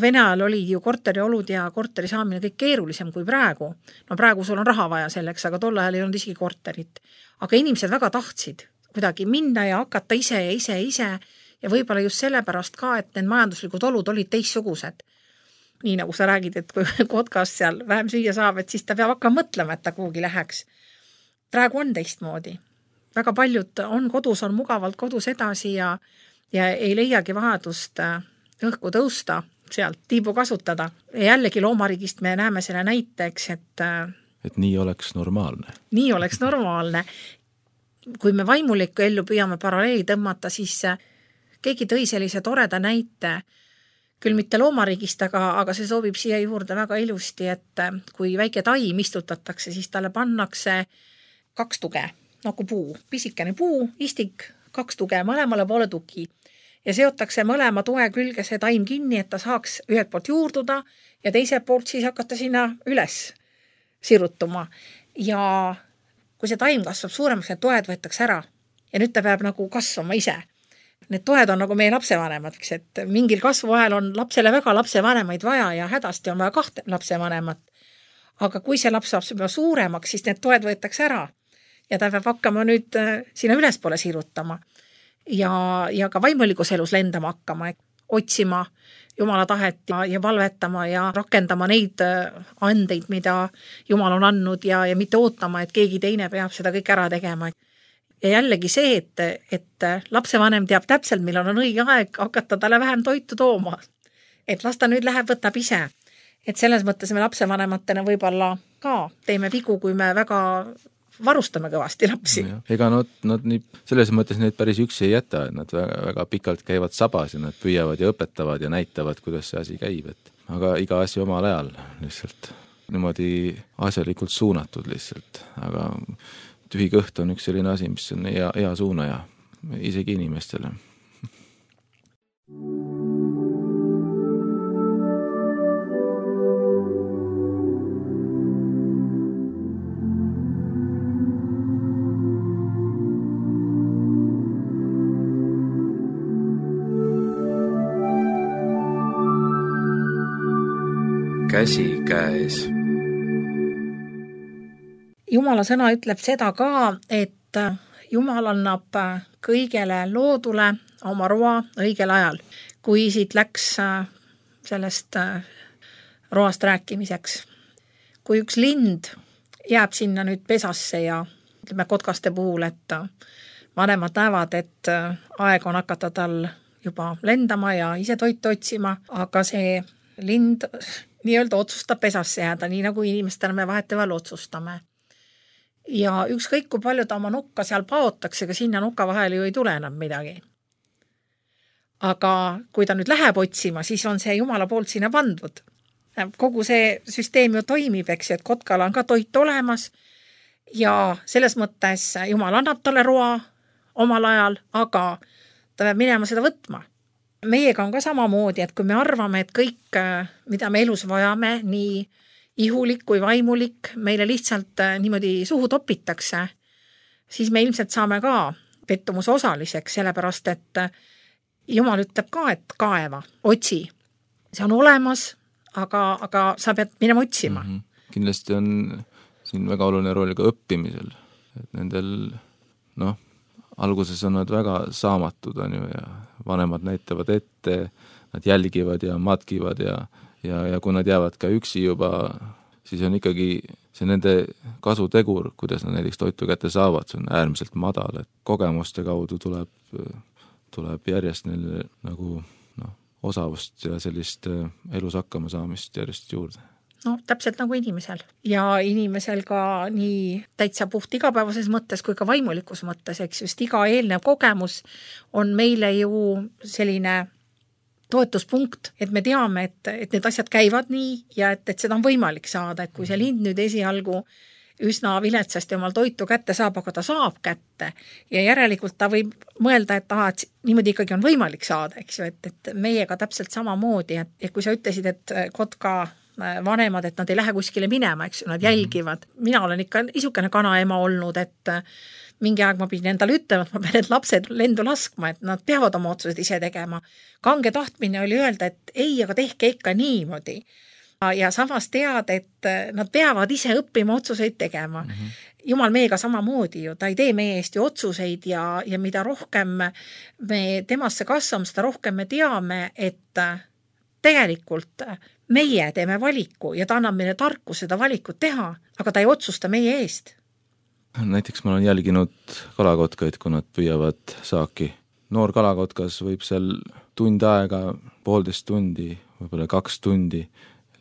Vene ajal oli ju korteriolud ja korteri saamine kõik keerulisem kui praegu. No praegu sul on raha vaja selleks, aga tol ajal ei olnud isegi korterit. Aga inimesed väga tahtsid kuidagi minna ja hakata ise ja ise ja ise ja võib-olla just sellepärast ka, et need majanduslikud olud olid teissugused. Nii nagu sa räägid, et kui kotkas seal vähem süüa saab, et siis ta peab hakkama mõtlema, et ta kuhugi läheks. Praegu on teistmoodi. Väga paljud on kodus, on mugavalt kodus edasi ja, ja ei leiagi vajadust õhku tõusta, sealt tiibu kasutada. Ja jällegi loomariigist me näeme selle näiteks, et et nii oleks normaalne. Nii oleks normaalne. Kui me vaimulikku ellu püüame paralleeli tõmmata, siis keegi tõi sellise toreda näite, küll mitte loomariigist, aga, aga see sobib siia juurde väga ilusti, et kui väike taim istutatakse, siis talle pannakse kaks tuge, nagu puu, pisikene puu, istik, kaks tuge, mõlemale poole tugi. Ja seotakse mõlema toe külge see taim kinni, et ta saaks ühelt poolt juurduda ja teiselt poolt siis hakata sinna üles sirutuma. Ja kui see taim kasvab suuremaks, need toed võetakse ära ja nüüd ta peab nagu kasvama ise. Need toed on nagu meie lapsevanemad, et mingil kasvuajal on lapsele väga lapsevanemaid vaja ja hädasti on vaja kahte lapsevanemat. Aga kui see laps saab suuremaks, siis need toed võetakse ära ja ta peab hakkama nüüd sinna ülespoole sirutama. ja, ja ka vaimulikus elus lendama hakkama, otsima Jumala tahet ja, ja valvetama ja rakendama neid andeid, mida Jumal on andnud ja, ja mitte ootama, et keegi teine peab seda kõik ära tegema. Ja jällegi see, et, et lapsevanem teab täpselt, millal on õige aeg hakata talle vähem toitu tooma. Et las ta nüüd läheb, võtab ise. Et selles mõttes me lapsevanematena võib-olla ka teeme vigu, kui me väga varustame kõvasti lapsi. Ega nad, nad nii, selles mõttes neid päris üksi ei jäta, et nad väga, väga pikalt käivad sabas ja nad püüavad ja õpetavad ja näitavad, kuidas see asi käib. Et aga iga asi omal ajal lihtsalt niimoodi asjalikult suunatud lihtsalt. Aga tühi kõht on üks selline asi, mis on hea, hea suunaja isegi inimestele. Käsi käes. Jumala sõna ütleb seda ka, et Jumal annab kõigele loodule oma roa õigel ajal. Kui siit läks sellest roast rääkimiseks. Kui üks lind jääb sinna nüüd pesasse ja ütleme kotkaste puhul, et vanemad näevad, et aeg on hakata tal juba lendama ja ise toitu otsima, aga see lind nii-öelda otsustab pesasse jääda, nii nagu inimestena me vaheteval otsustame. Ja ükskõik kui palju ta oma nukka seal paotakse, aga sinna nuka vahele ju ei tule enam midagi. Aga kui ta nüüd läheb otsima, siis on see Jumala poolt sinna pandud. Kogu see süsteem ju toimib, eks, et kotkal on ka toit olemas ja selles mõttes Jumal annab talle roa omal ajal, aga ta peab minema seda võtma. Meiega on ka samamoodi, et kui me arvame, et kõik, mida me elus vajame, nii ihulik kui vaimulik, meile lihtsalt niimoodi suhu topitakse, siis me ilmselt saame ka pettumuse osaliseks, sellepärast, et Jumal ütleb ka, et kaeva, otsi. See on olemas, aga, aga sa pead minema otsima. Mm-hmm. Kindlasti on siin väga oluline rool ka õppimisel. Et nendel, noh, alguses on nad väga saamatud, on ju, ja vanemad näitavad ette, nad jälgivad ja matkivad ja, ja, ja kui nad jäävad ka üksi juba, siis on ikkagi see nende kasutegur, kuidas nad näiteks toitu kätte saavad, see on äärmiselt madal, et kogemuste kaudu tuleb, tuleb järjest neile nagu no, osavust ja sellist elus hakkama saamist järjest juurde. No täpselt nagu inimesel. Ja inimesel ka nii täitsa puht igapäevases mõttes kui ka vaimulikus mõttes, eks just iga eelnev kogemus on meile ju selline toetuspunkt, et me teame, et, et need asjad käivad nii ja et, et seda on võimalik saada, et kui see lind nüüd esialgu üsna viletsasti omal toitu kätte saab, aga ta saab kätte ja järelikult ta võib mõelda, et, aha, et niimoodi ikkagi on võimalik saada, eks ju, et, et meiega täpselt samamoodi, et, et kui sa ütlesid, et kotka vanemad, et nad ei lähe kuskile minema, eks nad jälgivad. Mina olen ikka isukene kanaema olnud, et mingi aeg ma pidin endale ütlema, et ma pean need lapsed lendu laskma, et nad peavad oma otsused ise tegema. Kange tahtmine oli öelda, et ei, aga tehke ikka niimoodi. Ja samas tead, et nad peavad ise õppima otsuseid tegema. Mm-hmm. Jumal meiega samamoodi ju, ta ei tee meie eest ju otsuseid ja, ja mida rohkem me temasse kasvame, seda rohkem me teame, et tegelikult meie teeme valiku ja ta annab meile tarku seda valikut teha, aga ta ei otsusta meie eest. Näiteks ma olen jälginud kalakotkaid, kui nad püüavad saaki. Noor kalakotkas võib seal tund aega, poolteist tundi, võib-olla kaks tundi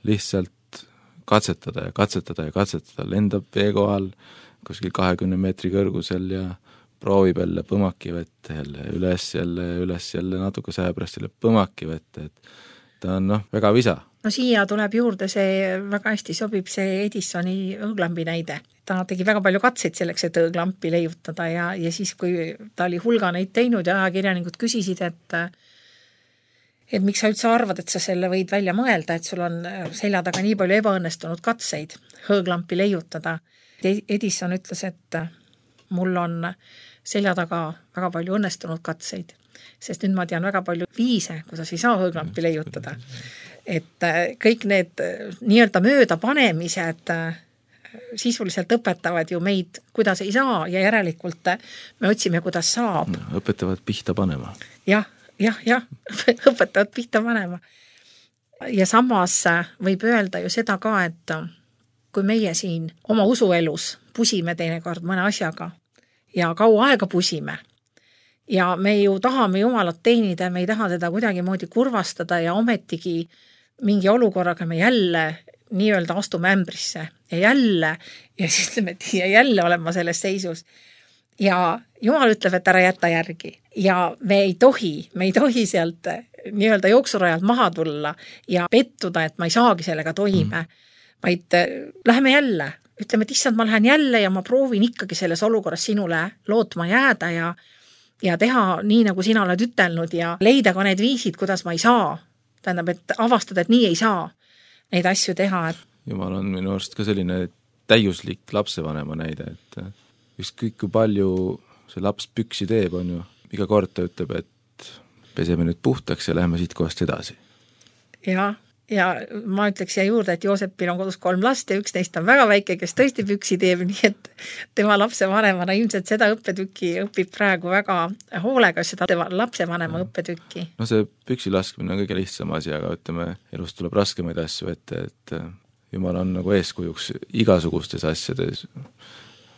lihtsalt katsetada ja katsetada ja katsetada. Lendab vee kohal kuskil kahekümne meetri kõrgusel ja proovib jälle põmaki vette, jälle üles, jälle üles, jälle natuke säepärast jälle põmaki vette, et ta on noh, väga visa. No siia tuleb juurde see, väga hästi sobib see Edisoni õõglampi näide. Ta tegi väga palju katseid selleks, et õõglampi leiutada ja, ja siis, kui ta oli hulga neid teinud ja ajakirjanikud küsisid, et et miks sa üldse arvad, et sa selle võid välja mõelda, et sul on selja taga nii palju ebaõnnestunud katseid õõglampi leiutada. Edison ütles, et mul on selja taga väga palju õnnestunud katseid, sest nüüd ma tean väga palju viise, kuidas ei saa õõglampi leiutada. Et kõik need nii-öelda mööda panemised sisuliselt õpetavad ju meid, kuidas ei saa ja järelikult me otsime, kuidas saab. Õpetavad pihta panema. Jah, jah, jah, õpetavad pihta panema. Ja samas võib öelda ju seda ka, et kui meie siin oma usuelus pusime teinekord mõne asjaga ja kaua aega pusime ja me ju tahame Jumalat teenida, me ei taha teda kuidagi moodi kurvastada ja ometigi mingi olukorraga me jälle nii-öelda astume ämbrisse ja jälle ja siis ütleme, et ja jälle olen ma selles seisus. Ja Jumal ütleb, et ära jätta järgi ja me ei tohi, me ei tohi sealt nii-öelda jooksurajalt maha tulla ja pettuda, et ma ei saagi sellega toime, vaid läheme jälle. Ütleme, et issand, ma lähen jälle ja ma proovin ikkagi selles olukorras sinule lootma jääda ja, ja teha nii, nagu sina oled ütelnud ja leida ka need viisid, kuidas ma ei saa. Tähendab, et avastada, et nii ei saa neid asju teha. Et... Jumal on minu arust ka selline täiuslik lapsevanema näide, et ükskõik kui palju see laps püksi teeb, on ju, iga kord ta ütleb, et peseme nüüd puhtaks ja läheme siit kohast edasi. Ja, ja ma ütleks siia juurde, et Joosepil on kodus kolm last ja üks neist on väga väike, kes tõesti püksi teeb, nii et tema lapsevanemana ilmselt seda õppetükki õpib praegu väga hoolega, seda tema lapsevanema no. õppetükki. No see püksi laskmine on kõige lihtsam asi, aga ütleme, elus tuleb raskemaid asju ette, et Jumal on nagu eeskujuks igasugustes asjades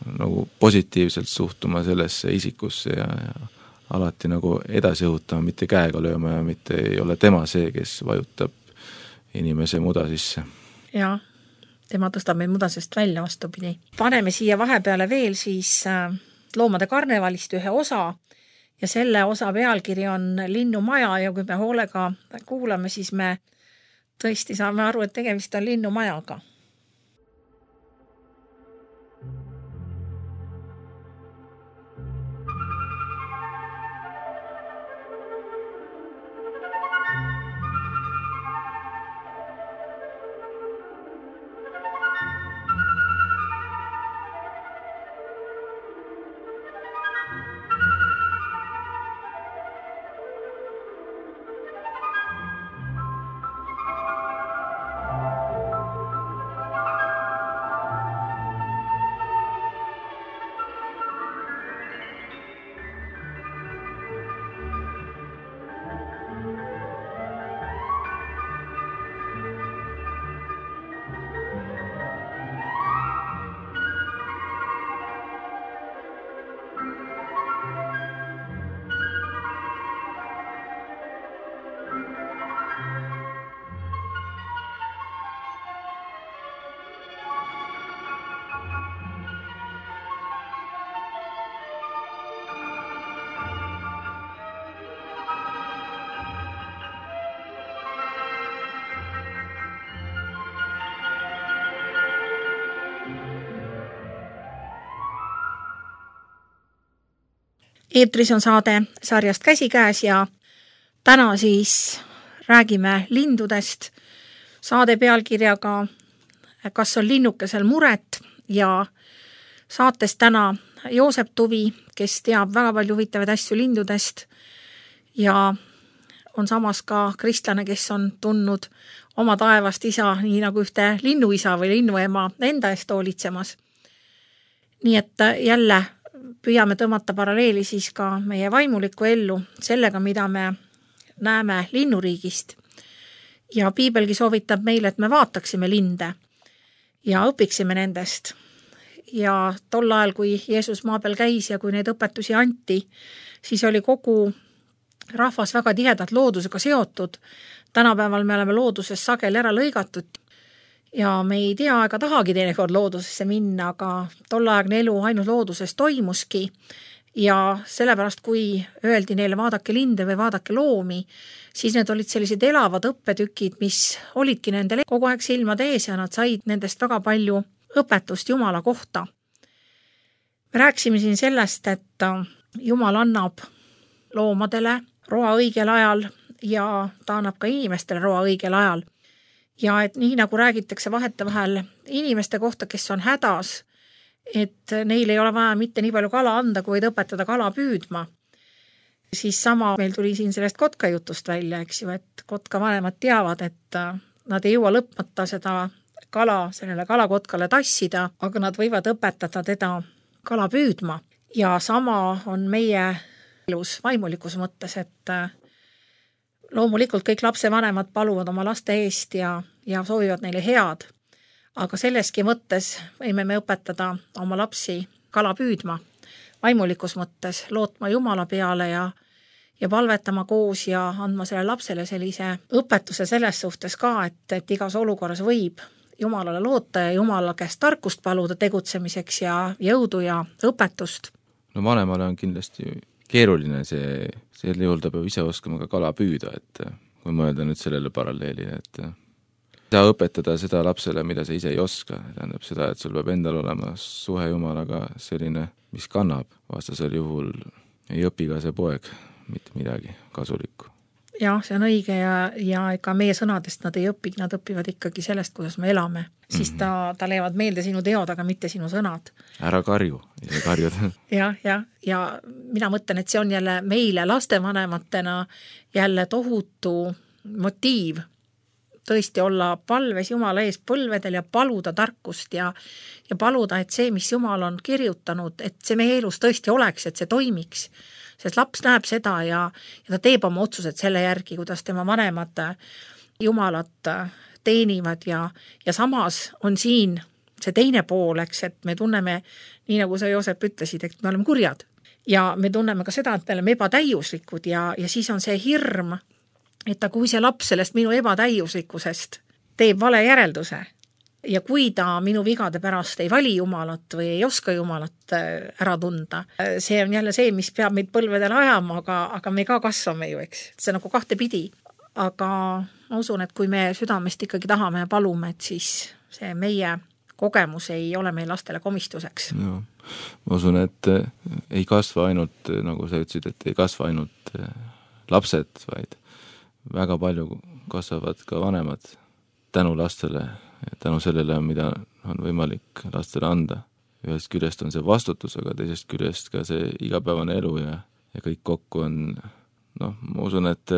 nagu positiivselt suhtuma sellesse isikusse ja, ja alati nagu edasi õhutama, mitte käega lööma ja mitte ei ole tema see, kes vajutab inimese muda sisse. Ja, tema tõstab meid mudasest välja vastupidi. Paneme siia vahepeale veel siis loomade karnevalist ühe osa ja selle osa pealkiri on Linnumaja ja kui me hoolega kuulame, siis me tõesti saame aru, et tegemist on linnumajaga. Eetris on saade sarjast Käsikäes ja täna siis räägime lindudest saade pealkirjaga Kas on linnukesel muret ja saates täna Joosep Tuvi, kes teab väga palju huvitavaid asju lindudest ja on samas ka kristlane, kes on tundnud oma taevast isa, nii nagu ühte linnuisa või linnuema enda eest hoolitsemas. Nii et jälle püüame tõmmata paralleeli siis ka meie vaimulikku ellu sellega, mida me näeme linnuriigist. Ja piibelgi soovitab meile, et me vaataksime linde ja õpiksime nendest. Ja tol ajal, kui Jeesus maa peal käis ja kui neid õpetusi anti, siis oli kogu rahvas väga tihedalt loodusega seotud. Tänapäeval me oleme looduses sageli ära lõigatud ja me ei tea ega tahagi teinekord loodusesse minna, aga tollaeagne elu ainult looduses toimuski ja sellepärast, kui öeldi neile vaadake linde või vaadake loomi, siis need olid sellised elavad õppetükid, mis olidki nendele kogu aeg silmade ees ja nad said nendest väga palju õpetust Jumala kohta. Me rääksime siin sellest, et Jumal annab loomadele roa õigel ajal ja ta annab ka inimestele roa õigel ajal. Ja et nii nagu räägitakse vahetevahel inimeste kohta, kes on hädas, et neil ei ole vaja mitte nii palju kala anda, kui võid õpetada kala püüdma. Siis sama meil tuli siin sellest kotka jutust välja, eks ju, et kotka vanemad teavad, et nad ei jõua lõpmata seda kala sellele kalakotkale tassida, aga nad võivad õpetada teda kala püüdma. Ja sama on meie elus vaimulikus mõttes, et loomulikult kõik lapsevanemad paluvad oma laste eest ja, ja soovivad neile head, aga selleski mõttes võime me õpetada oma lapsi kala püüdma, vaimulikus mõttes lootma Jumala peale ja, ja palvetama koos ja andma selle lapsele sellise õpetuse selles suhtes ka, et, et igas olukorras võib Jumalale loota ja Jumala käest tarkust paluda tegutsemiseks ja jõudu ja õpetust. No vanemale on kindlasti keeruline see, selle juhul ta peab ise oskama ka kala püüda, et kui mõelda nüüd sellele paralleelile, et saa õpetada seda lapsele, mida sa ise ei oska, tähendab seda, et sul peab endal olema suhe Jumalaga selline, mis kannab, vastasel juhul ei õpi ka see poeg mitte midagi kasulikku. Jah, see on õige ja, ja ega meie sõnadest nad ei õpi, nad õpivad ikkagi sellest, kuidas me elame. Siis ta, ta leiavad meelde sinu teod, aga mitte sinu sõnad. Ära karju, ise karjud. jah, jah, ja mina mõtlen, et see on jälle meile lastevanematena jälle tohutu motiiv tõesti olla palves Jumala ees põlvedel ja paluda tarkust ja, ja paluda, et see, mis Jumal on kirjutanud, et see meie elus tõesti oleks, et see toimiks. Sest laps näeb seda ja, ja ta teeb oma otsused selle järgi, kuidas tema vanemad Jumalat teenivad ja, ja samas on siin see teine pool, eks, et me tunneme, nii nagu sa Joosep ütlesid, et me oleme kurjad ja me tunneme ka seda, et me oleme ebatäiuslikud ja, ja siis on see hirm, et kui see laps sellest minu ebatäiuslikkusest teeb vale järelduse ja kui ta minu vigade pärast ei vali Jumalat või ei oska Jumalat ära tunda, see on jälle see, mis peab meid põlvedel ajama, aga, aga me ka kasvame ju, eks. See on nagu kahte pidi. Aga ma usun, et kui me südamest ikkagi tahame ja palume, et siis see meie kogemus ei ole meil lastele komistuseks. Ja, ma usun, et ei kasva ainult, nagu sa ütlesid, et ei kasva ainult lapsed, vaid väga palju kasvavad ka vanemad tänu lastele, tänu sellele, mida on võimalik lastele anda. Ühest küljest on see vastutus, aga teisest küljest ka see igapäevane elu ja, ja kõik kokku on, noh, ma usun, et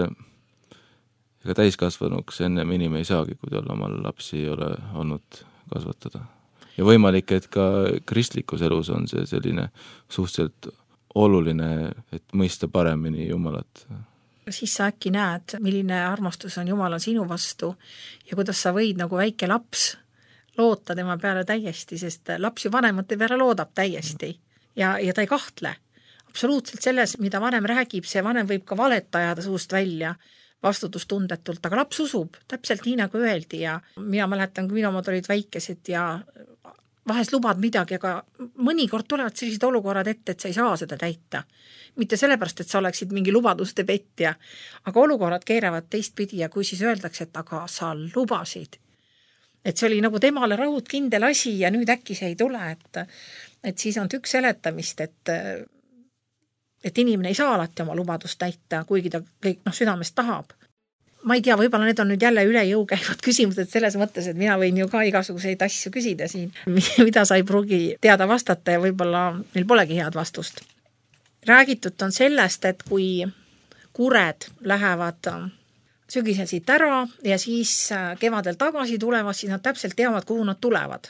ega täiskasvanuks ennem inim ei saagi, kui tal omal lapsi ei ole olnud kasvatada. Ja võimalik, et ka kristlikus elus on see selline suhteliselt oluline, et mõista paremini Jumalat. Siis sa äkki näed, milline armastus on Jumalal sinu vastu ja kuidas sa võid nagu väike laps loota tema peale täiesti, sest laps ju vanemate peale loodab täiesti ja, ja ta ei kahtle. Absoluutselt selles, mida vanem räägib, see vanem võib ka valet ajada suust välja vastutustundetult, aga laps usub täpselt nii nagu öeldi ja mina mäletan, kui minu omad olid väikesed ja vahest lubad midagi, aga mõnikord tulevad sellised olukorrad ette, et sa ei saa seda täita. Mitte sellepärast, et sa oleksid mingi lubaduste petja, aga olukorrad keeravad teistpidi ja kui siis öeldakse, et aga sa lubasid. Et see oli nagu temale raud kindel asi ja nüüd äkki see ei tule, et, et siis on tükk seletamist, et, et inimene ei saa alati oma lubadust täita, kuigi ta kõik noh, südamest tahab. Ma ei tea, võib-olla need on nüüd jälle üle jõu käivad küsimused selles mõttes, et mina võin ju ka igasuguseid asju küsida siin, mida sa ei pruugi teada vastata ja võib-olla neil polegi head vastust. Räägitud on sellest, et kui kured lähevad sügisel siit ära ja siis kevadel tagasi tulevad, siis nad täpselt teavad, kuhu nad tulevad.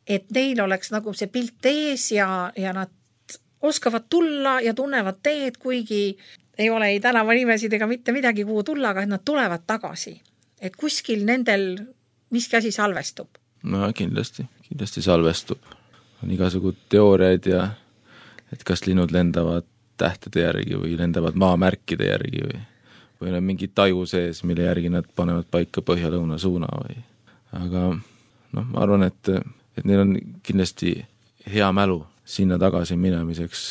Et neil oleks nagu see pilt ees ja, ja nad oskavad tulla ja tunnevad teed, kuigi ei ole ei tänavanimesid ega mitte midagi, kuhu tulla, aga nad tulevad tagasi. Et kuskil nendel miski asi salvestub. No kindlasti, kindlasti salvestub. On igasugud teooriaid ja et kas linnud lendavad tähtede järgi või lendavad maamärkide järgi või, või on mingi taju sees, mille järgi nad panevad paika põhja-lõuna suuna või. Aga noh, ma arvan, et, et neil on kindlasti hea mälu sinna tagasi minemiseks,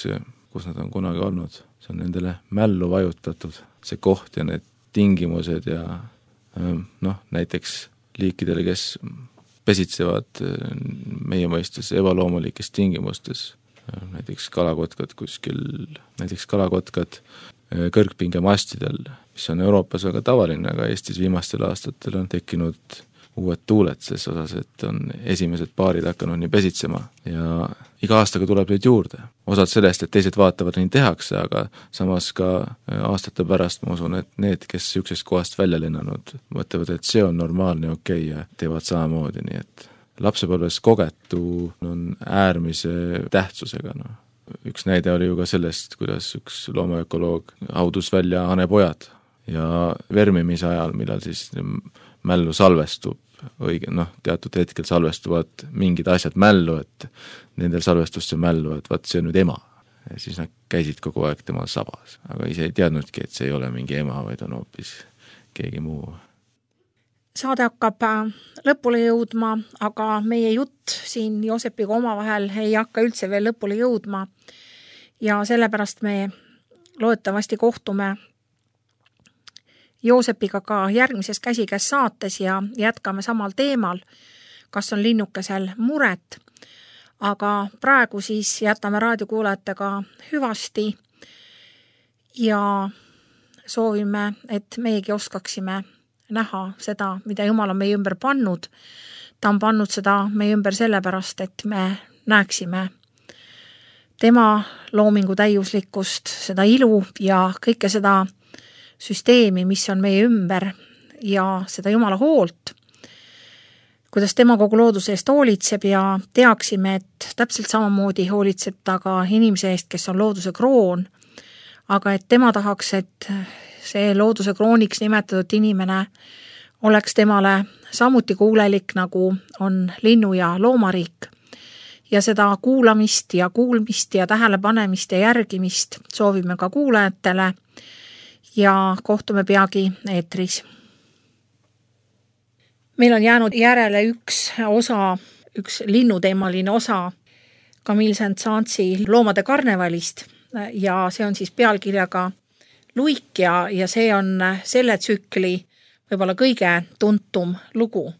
kus nad on kunagi olnud. See on nendele mällu vajutatud, see koht ja need tingimused ja noh, näiteks liikidele, kes pesitsevad meie mõistes ebaloomulikes tingimustes, näiteks kalakotkad kuskil, näiteks kalakotkad kõrgpingemastidel, mis on Euroopas väga tavaline, aga Eestis viimastel aastatel on tekkinud uued tuuled ses osas, et on esimesed paarid hakanud nii pesitsema ja iga aastaga tuleb neid juurde. Osad sellest, et teised vaatavad, nii tehakse, aga samas ka aastate pärast ma usun, et need, kes niisugusest kohast välja lennanud, mõtlevad, et see on normaalne ja okei ja teevad samamoodi, nii et lapsepõlves kogetu on äärmise tähtsusega, noh. Üks näide oli ju ka sellest, kuidas üks loomaökoloog haudus välja hanepojad ja vermimise ajal, millal siis mällu salvestub, õige, noh, teatud hetkel salvestuvad mingid asjad mällu, et nendel salvestusse mällu, et vaat see on nüüd ema. Ja siis nad käisid kogu aeg temal sabas, aga ise ei teadnudki, et see ei ole mingi ema, vaid on hoopis keegi muu. Saade hakkab lõpule jõudma, aga meie jutt siin Joosepiga omavahel ei hakka üldse veel lõpule jõudma ja sellepärast me loodetavasti kohtume Joosepiga ka järgmises Käsikäes saates ja jätkame samal teemal, kas on linnukesel muret, aga praegu siis jätame raadiokuulajatega hüvasti ja soovime, et meiegi oskaksime näha seda, mida Jumal on meie ümber pannud. Ta on pannud seda meie ümber sellepärast, et me näeksime tema loomingu täiuslikkust, seda ilu ja kõike seda süsteemi, mis on meie ümber ja seda Jumala hoolt, kuidas tema kogu looduse eest hoolitseb ja teaksime, et täpselt samamoodi hoolitseb ta ka inimese eest, kes on looduse kroon, aga et tema tahaks, et see looduse krooniks nimetatud inimene oleks temale samuti kuulelik, nagu on linnu- ja loomariik. Ja seda kuulamist ja kuulmist ja tähelepanemist ja järgimist soovime ka kuulajatele ja kohtume peagi eetris. Meil on jäänud järele üks osa, üks linnuteemaline osa Camille Saint-Saënsi loomade karnevalist ja see on siis pealkirjaga Luik ja, ja see on selle tsükli võib-olla kõige tuntum lugu.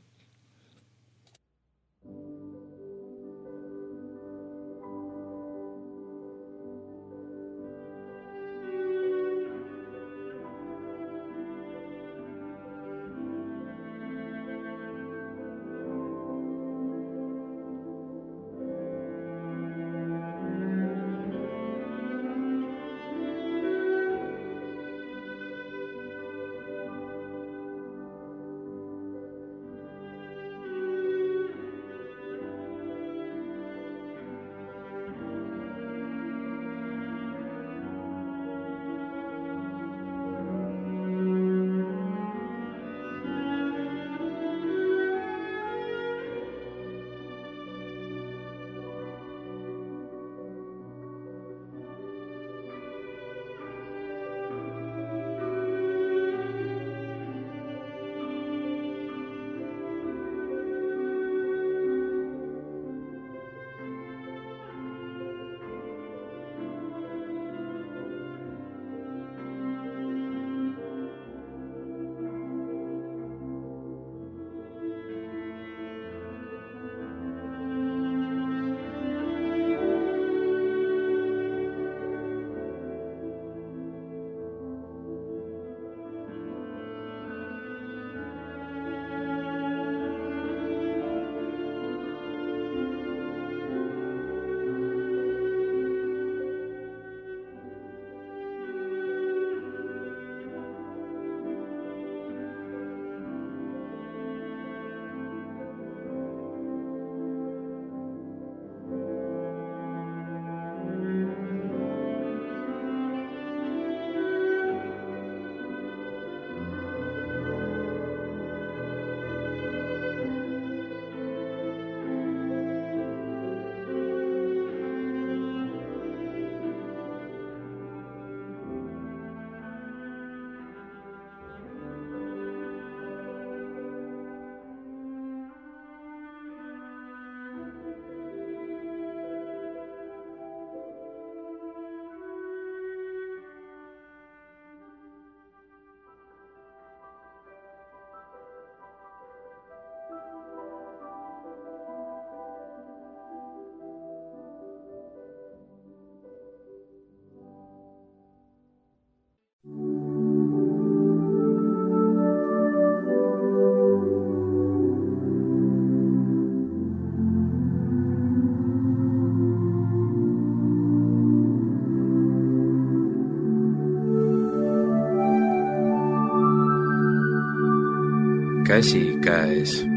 käsikäes.